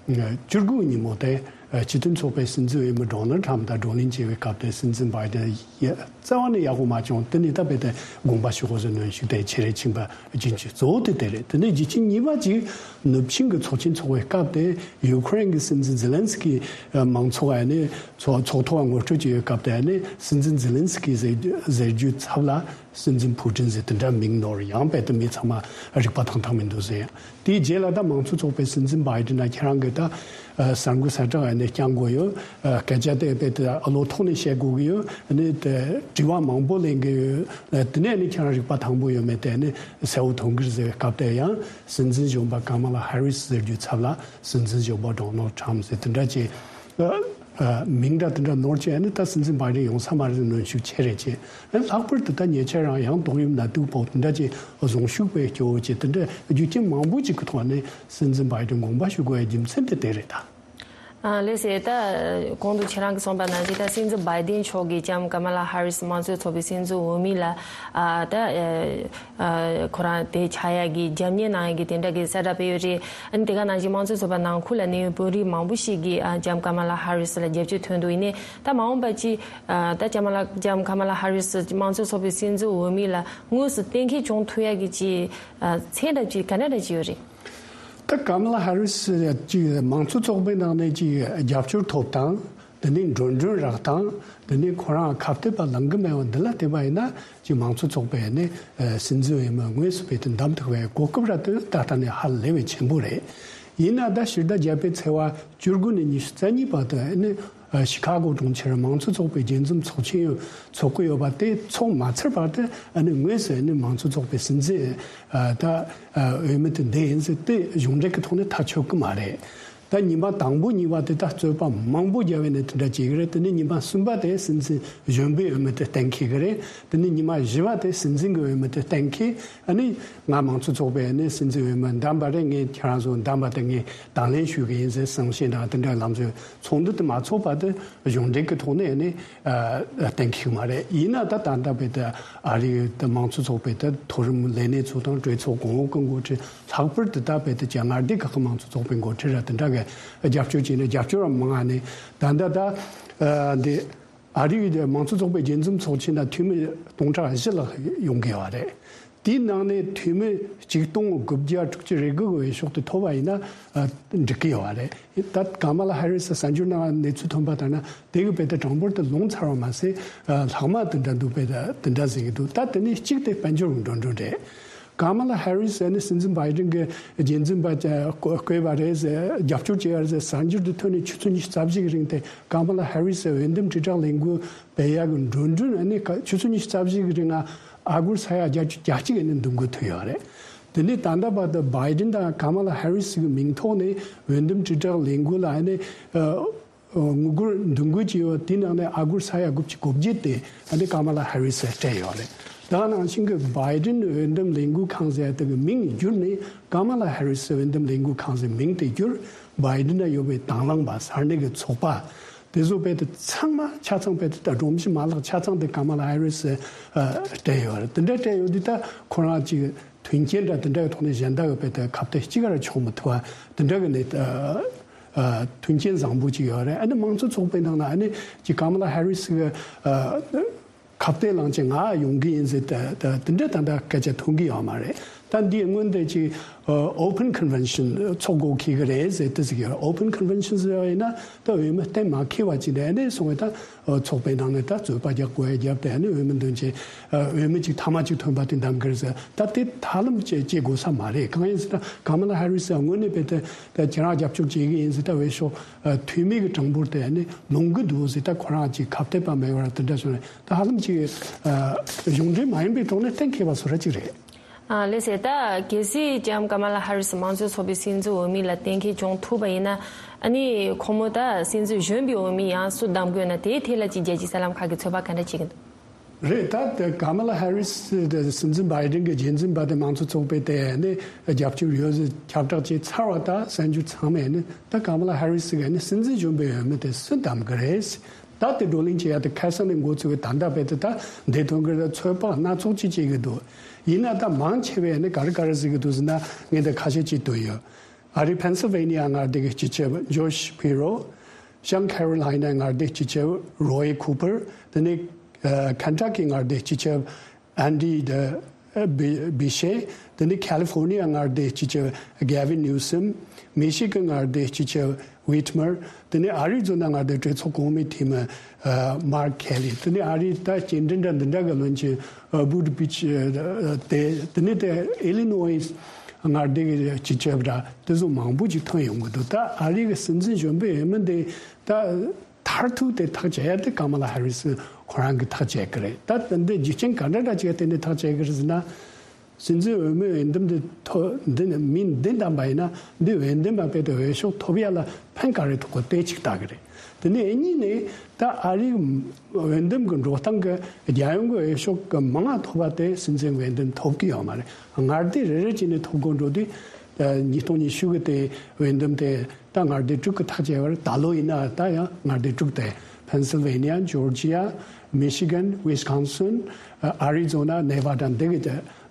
བཅུ་དགུ་ཉིན་མོ་དེ་སྤྱི་མཐུན་ཚོགས་པའི་སྲིད་འཛིན་འོས་མི་ཌོ་ནལ་ཊམ་དང་བགྲོ་གླེང་བྱེད་པའི་སྐབས་དེ་སྲིད་འཛིན་བྷའི་ཌེན་ཡ་རྩ་བ་ནས་ཡག་པོ་མ་བྱུང་། དེ་ནས་ད་དཔེ་དེ་དགོངས་པ་ཞུ་དགོས་ཟེར་གནོན་ཤུགས་དེ་ཆེ་རེ་ཕྱིན་པ་རྒྱུ་རྐྱེན་གཙོ་བོ་དེ་དེ་རེད། དེ་ནས་རྒྱུ་རྐྱེན་གཉིས་པ་ཅིག་ནུབ་ཆིངས་ཀྱི་ཚོགས་ཆེན་འཚོགས་པའི་སྐབས་དེ་ཡུ་ཁུ་རེན་གྱི་སྲིད་འཛིན་ཛེ་ལན་སི་ཀི་མང་ཚོགས་ཨ་ནི་ཚོགས་ཚོགས་ཐོག་ངོ་སྤྲོད་བྱེད་པའི་སྐབས་དེ་ཨ་ནི་སྲིད་འཛིན་ཛེ་ལན་སི་ཀི་ཟེར་རྒྱུ་ཟེར་རྒྱུའི་ཚབ་ལ་སྲིད་འཛིན་ཕུ་ཀྲིན་ཟེར་དེ་འདྲ་མིང་ནོར་ཡང་དཔེ་དེ་མི་ཚང་མ་རིག་པ་ཐང་ཐང་མི་འདུག་ཟེར། དེའི་རྗེས་ལ་ད་མང་གཙོ་ཚོགས་པའི་སྲིད་འཛིན་བྷའི་ཌེན་ལ་ཁྱེད་རང་གིས་ད་གསར་འགོད་གསལ་བསྒྲགས་ཨ་ནི་བསྐྱང་དགོས་ཡོད། སྐད་ཆ་དེ་དཔེ་དེ་ཨ་ལོ་ཐོག་ནས་བཤད་དགོས་ཀྱི་ཡོད། ཨ་ནི་དེ་དྲི་བ་མང་པོ་ལེན་གྱི་ཡོད། དེ་ནས་ཨ་ནི་ཁྱེད་རང་རིག་པ་ཐང་པོ་ཡོད་མེད་དེ་ཨ་ནི་གསལ་བོ་མཐོང་གི་རེད་ཟེར་བའི་སྐབས་དེ་ཡང་སྲིད་འཛིན་གཞོན་པ་ཀ་མ་ལ་ཧེ་རི་སི་ཟེར་རྒྱུའི་ཚབ་ལ་སྲིད་འཛིན་གཞོན་པ་ཌོ་ནལ་ཊམ་ཟེར་དེ་འདྲ་ཅིག་མིང་འདྲ་དེ་འདྲ་ནོར་ཅིག་ཨ་ནི་ད་སྲིད་འཛིན་བྷའི་ཌེན་ཡོང་ས་མ་རེད་གནོན་ཤུགས་ཆེ་རེད་ཅེས། ཨ་ནི་ལྷག་པར་དུ་ད་ཉེ་ཆར་རང་ཡང་ཏོག་དབྱིབས་ནད་དུག་ཕོག་དེ་འདྲ་ཅིག་གཟུངས་ཤུགས་པའི་སྐྱོ་བོ་ཅིག་དེ་འདྲ་རྒྱུ་རྐྱེན་མང་པོ་ཅིག་གི་ཐོག་ནས་སྲིད་འཛིན་བྷའི་ཌེན་དགོངས་པ་ཞུ་དགོས་པའི་རྒྱུ་མཚན་དེ་དེ་རེད་ད། ཨ་ལགས་སེ། ད་གོང་དུ་ཁྱེད་རང་གིས་གསུངས་པ་ནང་བཞིན་ད་སྲིད་འཛིན་བྷའི་ཌེན་མཆོག་གིས་ལྕམ་ཀ་མ་ལ་ཧ་རི་སི་མང་གཙོའི་ཚོགས་པའི་སྲིད་འཛིན་འོས་མི་ལ་ཨ་ད་ཨ་ཁོ་རང་དེ་ཆགས་ཡག་གི་རྒྱབ་གཉེར་གནང་ཡག་གི་དེ་འདྲ་གི་གསལ་བསྒྲགས་སྤེལ་ཡོད་རེད། ཨ་ནི་དེ་ག་ནང་བཞིན་མང་གཙོའི་ཚོགས་པ་ནང་ཁུལ་ལ་གནས་ཡོད་བོད་རིགས་མང་པོ་ཞིག་གིས་ཨ་ལྕམ་ཀ་མ་ལ་ཧ་རི་སི་ལ་རྒྱབ་སྐྱོར་ཐོན་འདུག་ཡིན་ནའི་ད་མ་འོངས་པ་ཅིག་ཨ་ད་ལྕམ་ལ་ལྕམ་ཀ་མ་ལ་ཧ་རི་སི་མང་གཙོའི་ཚོགས་པའི་སྲིད་འཛིན་འོས་མི་ལ་དངོས་སུ་གཏན་འཁེལ་བྱུང་ཐུབ་ཡག་གི་ཅིག་ཨ་ཚད་འདྲ་ཅིག་ག་འདྲ་འདྲ་ཅིག་ཡོད་རེད། ད་ཀ་མ་ལ་ཧ་རི་སི་ཅིག་མང་གཙོ་ཚོགས་པའི་ནང་ནས་ཅིག་རྒྱབ་སྐྱོར་ཐོབ་དང་། དེ་ནས་འགྲོ་གྲོན་རག་དང་། དེ་ནས་ཁོ་རང་ཁ་གཏད་པ་ལང་གི་མེད་པ་འདི་ལ་བལྟས་པ་ཡིན་ན་ཅིག་མང་གཙོ་ཚོགས་པའི་ནས་སྲིད་འཛིན་འོས་མི་དངོས་སུ་བེད་དུ་འདེམས་ཐུབ་པའི་གོ་སྐབས་ར་དེ་ད་ལྟ་ནས་ཧ་ལས་པའི་ཆེན་པོ་རེད། ཡིན་ན་ད་ཕྱི་ཟླ་བརྒྱད་པའི་ཚེས་པ་བཅུ་དགུ་ནས་ཉི་ཤུ་རྩ་གཉིས་བར་དུ་ནས་ཤི་ཁ་གོ་གྲོང་ཁྱེར་མང་གཙོ་ཚོགས་པའི་རྒྱས་འཛོམས་ཚོགས་ཆེན་ཡོད་ཚོགས་ཀྱི་ཡོད་པ་དེ་ཚོགས་མ་ཚར་བར་དུ་ཨ་ནི་དངོས་སུ་ཨ་ནི་མང་གཙོ་ཚོགས་པའི་སྲིད་འཛིན་ཨ་ད་ཨ་འོས་མི་དེ་འདེམས་ཡིན་ཟེར་དེ་གཞུང་འབྲེལ་གྱི་ཐོག་ནས་ཐག་ཆོད་ཀྱི་མ་རེད། ད་ཉི་མ་དང་པོ་གཉིས་པ་དེ་ད་རྩོད་པ་མང་པོ་རྒྱབ་པའི་ནས་དེ་འདྲ་བྱེད་ཀྱི་རེད། དེ་ནས་ཉི་མ་གསུམ་པ་དེ་སྲིད་འཛིན་གཞོན་པའི་འོས་མི་དེ་གཏན་འཁེལ་གྱི་རེད། དེ་ནས་ཉི་མ་བཞི་པ་དེ་སྲིད་འཛིན་གྱི་འོས་མི་དེ་གཏན་འཁེལ། ཨ་ནི་ང་མང་གཙོ་ཚོགས་པའི་ནས་སྲིད་འཛིན་འོས་མི་འདེམས་པ་རེད། ངས་ཁྱེད་རང་ཚོ་འདེམས་པ་དེ་ངས་དང་ལེན་ཞུ་གི་ཡིན་ཟེར་གསུང་བཤད་དང་དེ་འདྲ་ལམ་སྲོལ་ཚོགས་འདུ་དེ་མ་ཚོགས་བར་དུ་གཞུང་འབྲེལ་གྱི་ཐོག་ནས་ནི་གཏན་འཁེལ་མ་རེད། ཡིན་ན་ད་ད་ལྟ་བའི་ད་ཨ་རིའི་ད་མང་གཙོ་ཚོགས་པའི་ད་མཐོ་རིམ་ལས་སྣེ་ཚོ་དང་གྲོས་ཚོགས་གོང་འོག་གི་འགོ་ཁྲིད། ལྷག་པར་དུ་ད་བའི་ད་ཅ་མངའ་སྡེ་ཁག་གི་མང་གཙོ་ཚོགས་པའི་འགོ་ཁྲིད་ར་དེ་འདྲ་གི་རྒྱབ་སྐྱོར་བྱས་ནས་རྒྱབ་སྐྱོར་བ་མང་ང་ནས་ད་ད་ད་ཨ་འདི་ཨ་རིའི་མང་གཙོ་ཚོགས་པའི་རྒྱས་འཛོམས་ཚོགས་ཆེན་ན་འཐུས་མི་སྟོང་ཕྲག་བཞི་ལྷག་ཡོང་གི་ཡོད་རེད། དེའི་ནང་ནས་འཐུས་མི་ཆིག་སྟོང་དགུ་བརྒྱ་དྲུག་ཅུ་རེ་དགུ་གི་འོས་ཤོག་དེ་ཐོབ་པ་ཡིན་ན་ཨ་འགྲིག་གི་ཡོད་རེད། ད་ཀ་མ་ལ་ཧེ་རི་སི་གསར་འགྱུར་ནང་གནས་ཚུལ་ཐོན་པ་ལྟར་ན་དེ་གི་བེད་དེ་གྲངས་འབོར་དེ་ལོངས་ཚར་བ་མ་ཟད་ཨ་ལྷག་མ་དེ་འདྲ་འདུག་བེད་དེ་དེ་འདྲ་ཟེར་གི་འདུག་ད་དེ་ནས་གཅིག་དེ་དཔལ་འབྱོར་འགྲོ་གྲོན་རེད། ཀ་མ་ལ་ཧེ་རི་སི་ནི་སྲིད་འཛིན་བྷའི་ཌེན་གྱི་རྒྱས་འཛིན་པ་བསྐོས་པ་རེད་ཟེར། རྒྱབ་སྐྱོར་བྱས་པ་རེད་ཟེར། གསར་འགྱུར་དུ་ཐོན་ནས་ཆུ་ཚོད་ཉི་ཤུ་རྩ་བཞི་གི་རིང་དེ་ཀ་མ་ལ་ཧེ་རི་སི་འོས་འདེམས་དྲིལ་བསྒྲགས་ལས་འགུལ་སྤེལ་ཡག་གི་འགྲོ་གྲོན་ནི་ཆུ་ཚོད་ཉི་ཤུ་རྩ་བཞི་གི་རིང་ཨ་སྒོར་ས་ཡ་བརྒྱད་ཅུ་གྱ་གཅིག་ནས་འདུ་འགོད་ཐུབ་ཡོད་རེད། དེ་ནས་ད་ལྟ་བར་དུ་བྷའི་ཌེན་དང་ཀ་མ་ལ་ཧེ་རི་སི་གི་མིང་ཐོག་ནས་འོས་འདེམས་དྲིལ་བསྒྲགས་ལས་འགུལ་ལ་ནི་ཨ། དངུལ་སྒོར་འདུ་འགོད་ཀྱི་ཡོད། དེའི་ནང་ནས་ཨ་སྒོར་ས་ཡ་དགུ་བཅུ་གོ་བརྒྱད་དེ་ཨ་ནི་ཀ་མ་ལ་ཧེ་རི་སི་སྤྲད་ཡོད་རེད། ད་ནང་བཞིན་གྱི་བྷའི་ཌེན་འོས་འདེམས་ལས་འགུལ་ཁང་ཟེར་དེ་གི་མིང་བསྒྱུར་ནས་ཀ་མ་ལ་ཧེ་རི་སི་འོས་འདེམས་ལས་འགུལ་ཁང་ཟེར་མིང་དེ་བསྒྱུར། བྷའི་ཌེན་ན་ཡོད་པའི་དང་བླངས་པ་ས་གནས་ཀྱི་ཚོགས་པ་ དེ་ཚོ་དཔེ་དེ་ཚང་མ་ཆ་ཚང་དཔེ་དེ་ད་སྒྲོམ་གཞི་མ་ལག་ཆ་ཚང་དེ་ཀ་མ་ལ་ཧེ་རི་སི་སྤྲད་ཡོད་རེད། དེ་འདྲ་སྤྲད་ཡོད་དུས་ད་ཁོ་རང་ཅིག་མཐུན་རྐྱེན་འདྲ་དེ་འདྲའི་ཐོག་ནས་གཞན་དག་གི་དཔེ་དེ་ཁ་གཏད་གཅིག་ག་ར་ཆོག་མི་ཐུབ་པ་དེ་འདྲ་གི་ནས་མཐུན་རྐྱེན་བཟང་པོ་ཅིག་ཡོད་རེད། ཨ་ནི་མང་གཙོ་ཚོགས་པའི་ནང་ལ་ཨ་ནི་ཅིག་ཀ་མ་ལ་ཧེ་རི་སི་གི་ཁ་གཏད་བླངས་བྱས་ང་ཡོང་གི་ཡིན་ཟེར་ད་ད་དེ་འདྲ་ད་ལྟ་སྐད་ཆ་ཐོན་གི་ཡོད་མ་རེད། ད་འདིའི་སྔོན་དེ་ཅིག་ཨ་Open Convention ཚོགས་དགོས་འཁེལ་གི་རེད་ཟེར་དེ་ཟེར་གི་ཡོད། Open Convention ཟེར་བ་ཡིན་ན་ད་འོས་མི་གཏན་མ་འཁེལ་བ་ཅིག་ནས་ཨ་ནི་སོང་བས་ད་ཚོགས་པའི་ནང་ནས་ད་རྩོད་པ་རྒྱག་དགོས་ཡ་རྒྱབ་སྟེ་ཨ་ནི་འོས་མི་འདོན་བྱས་འོས་མི་ཅིག་ཐ་མ་ཅིག་ཐོན་པ་དེ་འདེམས་གི་རེད་ཟེར། ད་དེ་ཧ་ལམ་བྱེད་བྱེད་དགོས་ས་མ་རེད། གང་ཡིན་ཟེར་ན་ཀ་མ་ལ་ཧེ་རི་སི་ཡང་དངོས་གནས་དཔེ་དེ་ད་ཁྱེད་རང་རྒྱབ་སྐྱོར་བྱེད་གི་ཡིན་ཟེར་ད་འོས་ཤོག་འཐུས་མི་གི་གྲངས་འབོར་དེ་ཨ་ནི་ལོང་གི་འདུག་ཟེར། ད་ཁོ་རང་ཅིག་ཁ་གཏད་པ་མེད་པར་དེ་འདྲ་བྱུང་ནས་ད་ཧ་ལམ་ཅིག་གཞུང་འབྲེལ་མ་ཡིན་པའི་ཐོག་ནས་གཏན་འཁེལ་བ་བཟོ་འདྲ་ཅིག་རེད། ཨ་ལགས་སེ། ད་གལ་སྲིད་ཀྱང་ཀ་མ་ལ་ཧ་རི་སི་མང་གཙོ་ཚོགས་པའི་སྲིད་འཛིན་འོས་མི་ལ་གཏན་འཁེལ་བྱུང་ཐུབ་པ་ཡིན་ན་ཨ་ནི་ཁོ་མོ་ད་སྲིད་འཛིན་གཞོན་པའི་འོས་མི་ཡང་སུ་གདམ་དགོས་ན་དེའི་ཐད་ལ་ཅིག་རྒྱལ་སྤྱིའི་གསར་ལམ་ཁག་གིས་ཚོད་དཔག་ག་འདྲ་བྱེད་ཀྱི་འདུག་རེད། ད་དེ་ཀ་མ་ལ་ཧེ་རི་སི་དེ་སྲིད་འཛིན་བྷའི་ཌེན་གྱི་རྗེས་འཛིན་པ་དེ་མང་གཙོ་ཚོགས་པས་དེ་ནས་རྒྱབ་སྐྱོར་ཡོད་ཟེར་ཁྱབ་བསྒྲགས་བྱས་ཚར་བ་ད་གསར་འགྱུར་ཚང་མས་ནི་ད་ཀ་མ་ལ་ཧེ་རི་སི་གི་ནི་སྲིད་འཛིན་གཞོན་པའི་འོས་མི་དེ་སུ་གདམ་གི་རེད། ད་དེ་བགྲོ་གླེང་བྱེད་ཡ་དེ་ཁ་སང་ནས་འགོ་ཚུགས་པའི་ད་ལྟ་བར་དུ་ད་འདི་ཐོན་གི་རེད། ཚོད་དཔག་སྣ་ཚོགས་ཅིག་བྱེད་གི་འདུག་ཡིན་ན་ད་མང་ཆེ་བས་ནི་ག་རེ་ག་རེ་ཟེར་གི་འདུག་ཟེར་ན་ངས་འདི་ཁ་ཤས་ཅིག་བཏོན་ཡོད། ཨ་རི་ཕེན་སིལ་ཝེ་ནི་ཡ་མངའ་སྡེ་གི་སྤྱི་ཁྱབ་ཇོ་ཤ་པི་རོ། བྱང་ཁེ་རོ་ལི་ན་མངའ་སྡེ་སྤྱི་ཁྱབ་རོ་ཡི་ཁུ་པར། དེ་ནས་ཨ་ཁེན་ཊ་ཀི་མངའ་སྡེ་སྤྱི་ཁྱབ་ཨན་ཌི་ཌི་བི་ཤེ། དེ་ནས་ཁ་ལི་ཧྥོར་ནི་ཡ་མངའ་སྡེ་སྤྱི་ཁྱབ་གེ་ཝིན་ནིའུ་སམ། མི་ཤི་གན་མངའ་སྡེ་སྤྱི་ཁྱབ་ཝིཊ་མར། དེ་ནས་ཨ་རི་ཛོ་ན་མངའ་སྡེ་གྲོས་ཚོགས་གོང་མའི་འཐུས་མི་ཨ་མར་ཁེ་ལི། དེ་ནས་ཨ་རིའི་ད་སྐྱེལ་འདྲེན་འདྲ་འདི་འདྲ་གི་བློན་ཆེན་ཨ་བུ་ཏི་ཇེ་ཇི་དེ། དེ་ནས་དེ་ཨི་ལི་ནོ་ཝི་མངའ་སྡེ་གི་སྤྱི་ཁྱབ་འདྲ་དེ་ཚོ་མང་པོ་ཅིག་ཐོན་ཡོང་གི་འདུག་ད་ཨ་རི་གི་སྲིད་འཛིན་གཞོན་པའི་འོས་མི་འདི་ད་མཐར་ཐུག་དེ་ཐག་བཅད་ཡ་དེ་ཀ་མ་ལ་ཧེ་རི་སི་ཁོ་རང་གིས་ཐག་བཅད་གི་རེད། ད་དེ་འདི་རྒྱུ་རྐྱེན་ག་འདྲ་འདྲ་ཅིག་བརྟེན་ནས་ཐག་བཅད་གི་རེད་ཟེར་ན། སྲིད་འཛིན་འོས་མི་འོས་འདེམས་འདི་ཐོ་འདི་ནི་མི་འདི་བདམས་པ་ཡིན་ན་འདི་འོས་འདེམས་པ་དཔེ་དེ་འོས་ཤོག་ཐོབ་ཡ་ལ་ཕན་ག་རེ་ཐོགས་གོ་དེ་གཅིག་ལྟ་གི་རེད། དེ་ནས་གཉིས་ནས་ད་ཨ་རིའི་འོས་འདེམས་ཀྱི་འགྲོ་སྟངས་ཀྱི་རྒྱལ་ཡོངས་ཀྱི་འོས་ཤོག་གི་མང་ང་ཐོབ་པ་དེ་སྲིད་འཛིན་འོས་འདེམས་ཐོབ་ཀྱི་ཡོད་མ་རེད། མངའ་སྡེ་རེ་རེ་བྱས་ནས་ཐོབ་དགོས་འགྲོ་དུས་ཉིས་སྟོང་ཉི་ཤུ་གི་དེ་འོས་འདེམས་དེ་ད་མངའ་སྡེ་དྲུག་གི་ཐག་བཅད་པར་ད་ལོ་ཡིན་ན་ད་ཡང་མངའ་སྡེ་དྲུག་དེ་ཕེན་སིལ་ཝེ་ནི་ཡ། ཇོར་ཇི་ཡ། མི་ཤི་གན། ཝི་སི་ཀོན་སིན། ཨ་རི་ཛོ་ན། ནེ་ཝ་ཌ། འདི་གི་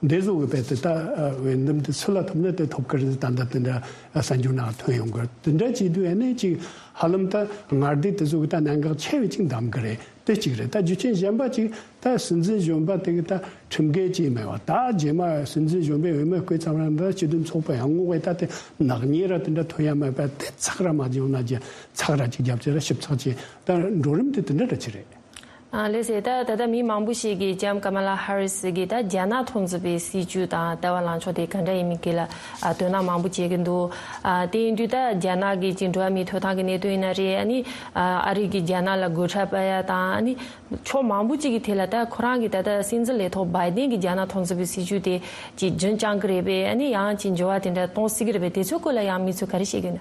འདི་ཚོ་གི་དཔེ་དེ་ད་འོས་འདེམས་དེ་སུ་ལ་ཐོབ་ན་དེ་ཐོབ་ཀྱི་རེད། ད་ལྟ་དེ་འདྲ་གསར་འགྱུར་ནང་ཐོན་ཡོང་གི་རེད། དེ་འདྲ་བྱེད་དུས་ཨ་ནི་ཅིག་ཧ་ལམ་ད་མངའ་སྡེ་དེ་ཚོ་གི་ད་གནད་འགག་ཆེ་བའི་ཅིག་འདམ་གི་རེད། དེ་གཅིག་རེད། ད་རྒྱུ་རྐྱེན་གཞན་པ་ཅིག་ད་སྲིད་འཛིན་གཞོན་པ་དེ་གི་ད་ཁྲིམས་འགལ་ཅིག་མེད་པ། ད་རྗེས་མ་སྲིད་འཛིན་གཞོན་པའི་འོས་མི་བསྐོས་ཚར་བ་ན་ད་སྤྱི་འཐུས་ཚོགས་པ་ཡང་ངོ་བས་ད་དེ་ནག་ཉེས་ར་དེ་འདྲ་ཐོན་ཡ་མེད་པ། དེ་ཚགས་ར་མ་བྱུང་ན་ཅིག་ཚགས་ར་ཅིག་རྒྱབ་ཅིག་ར་ཞིབ་ཚགས་ཅིག་ད་འགྲོ་རིམ་དེ་དེ་འདྲ་འདྲ་ཅིག་རེད། ཨ་ལགས་སེ། ད་ད་ལྟ་མི་མང་པོ་ཞིག་གིས་ལྕམ་ཀ་མ་ལ་ཧ་རི་སི་གིས་ད་རྒྱ་ནག་མཐོང་ཚུལ་བའི་སྲིད་བྱུས་དང་ལྟ་བ་ལངས་ཕྱོགས་དེ་ག་འདྲ་ཡིན་མིན་སྐོར་ལ་ཨ་དོ་སྣང་མང་པོ་བྱེད་ཀྱི་འདུག་ཨ་དེ་ཡིན་དུས་ད་རྒྱ་ནག་གི་ཅིག་འགྲོ་བ་མིའི་ཐོབ་ཐང་གི་གནད་དོན་ཡིན་ན་རེད། ཨ་ནི་ཨ་ཨ་རི་གིས་རྒྱ་ནག་ལ་སྒོ་ཁྲལ་སྤར་ཡ་དང་། ཨ་ནི་ཕྱོགས་མང་པོ་ཅིག་གི་ཐད་ལ་ད་ཁོ་རང་གི་ད་ལྟ་སྲིད་འཛིན་ལས་ཐོག་བྷའི་ཌེན་གྱི་རྒྱ་ནག་མཐོང་ཚུལ་བའི་སྲིད་བྱུས་དེ་ཅིག་རྒྱུན་བསྐྱང་གི་རེད་པས། ཨ་ནི་ཡང་ཅིག་འགྱུར་བ་དེ་འདྲ་གཏོང་སྲིད་ཀྱི་རེད་པས། དེ་ཚོའི་སྐོར་ལ་ཡང་མི་ཚོས་ག་རེ་བཤད་ཀྱི་ཡོད་ན།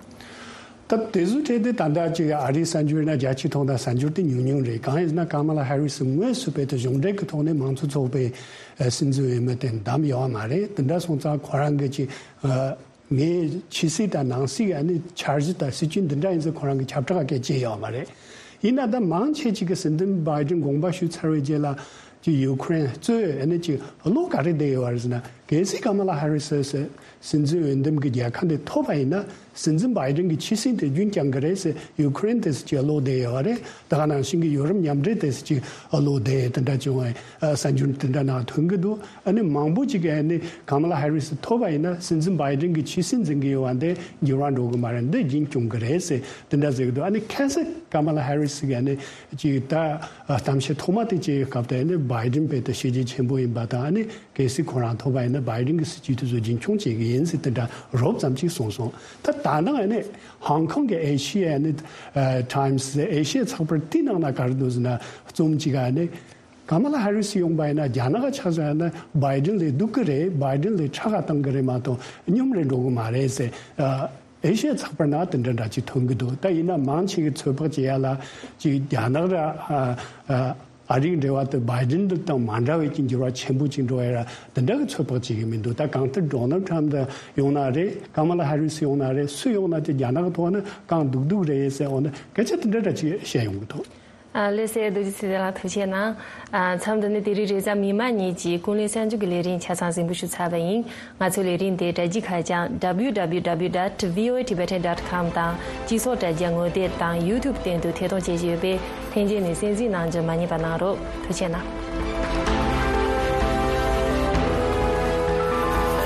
ད་དེ་ཚོའི་གྲས་དེ་ད་ལྟ་ཅིག་ཨ་རིའི་གསར་འགྱུར་ན་རྒྱ་ཆེ་མཐོང་དང་གསར་འགྱུར་དེ་ཉུང་ཉུང་རེད། གང་ཡིན་ཟེར་ན་ཀ་མ་ལ་ཧེ་རི་སི་དངོས་སུ་དཔེ་དེ་གཞུང་འབྲེལ་གྱི་ཐོག་ནས་མང་གཙོ་ཚོགས་པའི་ཨ་སྲིད་འཛིན་འོས་མི་དེ་བདམས་ཡོད་མ་རེད། དེ་འདྲ་སོང་ཙང་ཁོ་རང་གི་ཅིག་ཨ་ངའི་ཕྱི་སྲིད་དང་ནང་སྲིད་ཀྱི་ཨ་ནི་འཆར་གཞི་དང་སྲིད་ཇུས་འདི་འདྲ་ཡིན་ཟེར་ཁོ་རང་གི་ཁྱབ་བསྒྲགས་སྐད་ཆ་ཡོད་མ་རེད། ཡིན་ན་ད་མང་ཆེ་ཅིག་གིས་སྲིད་འཛིན་བྷའི་ཌེན་དགོངས་པ་ཞུས་ཚར་བའི་རྗེས་ལ་ཅིག་ཡུ་ཁུ་རེན་གཙོས་ཨ་ནི་ཅིག་བློ་ག་རེ་བསྡད་ཡོད་རེད་ཟེར་ན། གལ་སྲིད་ཀ་མ་ལ་ཧེ་རི་སི་སྲིད་འཛིན་འོས་འདེམས་ཀྱི་རྒྱལ་ཁ་འདི་ཐོབ་པ་ཡིན་ན་སྲིད་འཛིན་བྷའི་ཌེན་གྱི་ཆོད་སེམས་དེ་རྒྱུན་བསྐྱང་གི་རེད་ཟེར་ཡུ་ཁུ་རེན་དེ་ཚོ་ཅིག་བློ་བདེ་ཡོད་རེད། ད་ག་ནང་བཞིན་གྱི་ཡོ་རོབ་མཉམ་འབྲེལ་དེ་ཚོ་ཅིག་བློ་བདེ་དེ་འདྲ་བྱུང་བའི་གསར་འགྱུར་དེ་འདྲ་ནང་ཐོན་གྱི་འདུག་ཨ་ནི་མང་པོ་ཅིག་གིས་ཨ་ནི་ཀ་མ་ལ་ཧེ་རི་སི་ཐོབ་པ་ཡིན་ན་སྲིད་འཛིན་བྷའི་ཌེན་གྱི་ཆོད་སེམས་འཛིན་གྱི་ཡོད་པ་འདི་འགྱུར་བ་འགྲོ་གི་མ་རེད། འདི་རྒྱུན་སྐྱོང་གི་རེད་ཟེར་དེ་འདྲ་ཟེར་གྱི་འདུག་ཨ་ནི་ཁ་སང་ཀ་མ་ལ་ཧེ་རི་སི་གིས་ཨ་ནི་ཅིག་ད་གཏམ་བཤད་ཐོག་མ་དེ་བྱེད་སྐབས་དེ་ཨ་ནི་བྷའི་ཌེན་དཔེ་དེ་ཤེས་རྒྱ་ཆེན་པོ་ཡིན་པ་དང་། ཨ་ནི་གལ་སྲིད་ཁོ་རང་ཐོབ་པ་ཡིན་ན་བྷའི་ཌེན་གྱི་སྲིད་ཇུས་དེ་ཚོ་རྒྱུན་འཁྱོངས་བྱེད་ཀྱི་ཡིན་ཟེར་དེ་འདྲ་རོབ་ཙམ་ཅིག་གསུངས་སོང་། ད་ད་ནང་ཨ་ནི་ཧོང་ཀོང་གི་ཨེ་ཤི་ཡ་ཨ་ནི་ཨ་ཊའིམ་སི་ཨེ་ཤི་ཡ་ཚགས་པར་དེའི་ནང་ན་ག་རེ་འདུག་ཟེར་ན། རྩོམ་གཅིག་ག་ཨ་ནི་ཀ་མ་ལ་ཧེ་རི་སི་ཡོང་པ་ཡིན་ན་རྒྱ་ནག་ག་ཆ་བཞག་ན་བྷའི་ཌེན་ལས་སྡུག་གི་རེད། བྷའི་ཌེན་ལས་ཁྲག་ག་བཏང་གི་རེད་མ་གཏོགས་སྙོམས་རེ་འགྲོ་གི་མ་རེད་ཟེར། ཨ་ཨེ་ཤི་ཡ་ཚགས་པར་ནང་དེ་འདྲ་འདྲ་ཅིག་ཐོན་གི་འདུག་ད་ཡིན་ན་མང་ཆེ་གི་ཚོད་དཔག་བྱེད་ཡ་ལ་ཅིག་རྒྱ་ནག་ར་ཨ་ཨ་ ཨ་རིའི་འབྲེལ་བ་དེ་བྷའི་ཌེན་དང་མ་འདྲ་བའི་གི་འགྱུར་བ་ཆེན་པོ་ཅིག་འགྲོ་ཡ་ར་དེ་འདྲ་གི་ཚོད་དཔག་བྱེད་ཀྱི་མི་འདུག་ད་གང་ལྟར་ཌོ་ནལ་ཊམ་དང་ཡོང་ན་རེད། ཀ་མ་ལ་ཧ་རི་སི་ཡོང་ན་རེད། སུ་ཡོང་ན་དེ་རྒྱ་ནག་གི་ཐོག་ནས་གང་སྡུག་སྡུག་རེད་ཟེར་འོ་ན་སྐད་ཆ་དེ་འདྲ་འདྲ་ཅིག་བཤད་ཡོང་གི་འདུག་ཨ་ལེ་སེ་རྡོ་རྗེ་ཚེ་བརྟན་ལགས་ཐུགས་རྗེ་གནང་། ཨ་མཚམས་འདི་ནས་དེ་རིང་རེས་གཟའ་མིག་དམར་ཉིན་གྱི་ཀུན་གླེང་གསར་འགྱུར་གྱི་ལས་རིམ་ཆ་ཚང་གཟིགས་འབུལ་ཞུ་ཚར་བ་ཡིན། ང་ཚོའི་ལས་རིམ་དེ་དྲ་རྒྱའི་ཁ་བྱང་W W W dot V O A Tibetan dot com དང་སྤྱི་ཚོགས་དྲ་རྒྱ་ངོ་དེབ་དང་YouTube སྟེང་དུ་ཐད་གཏོང་བྱེད་ཀྱི་ཡོད་པས་ལྷན་རྒྱས་ནས་གསན་གཟིགས་གནང་རྒྱུ་མ་བསྙེལ་བ་གནང་རོགས། ཐུགས་རྗེ་གནང་།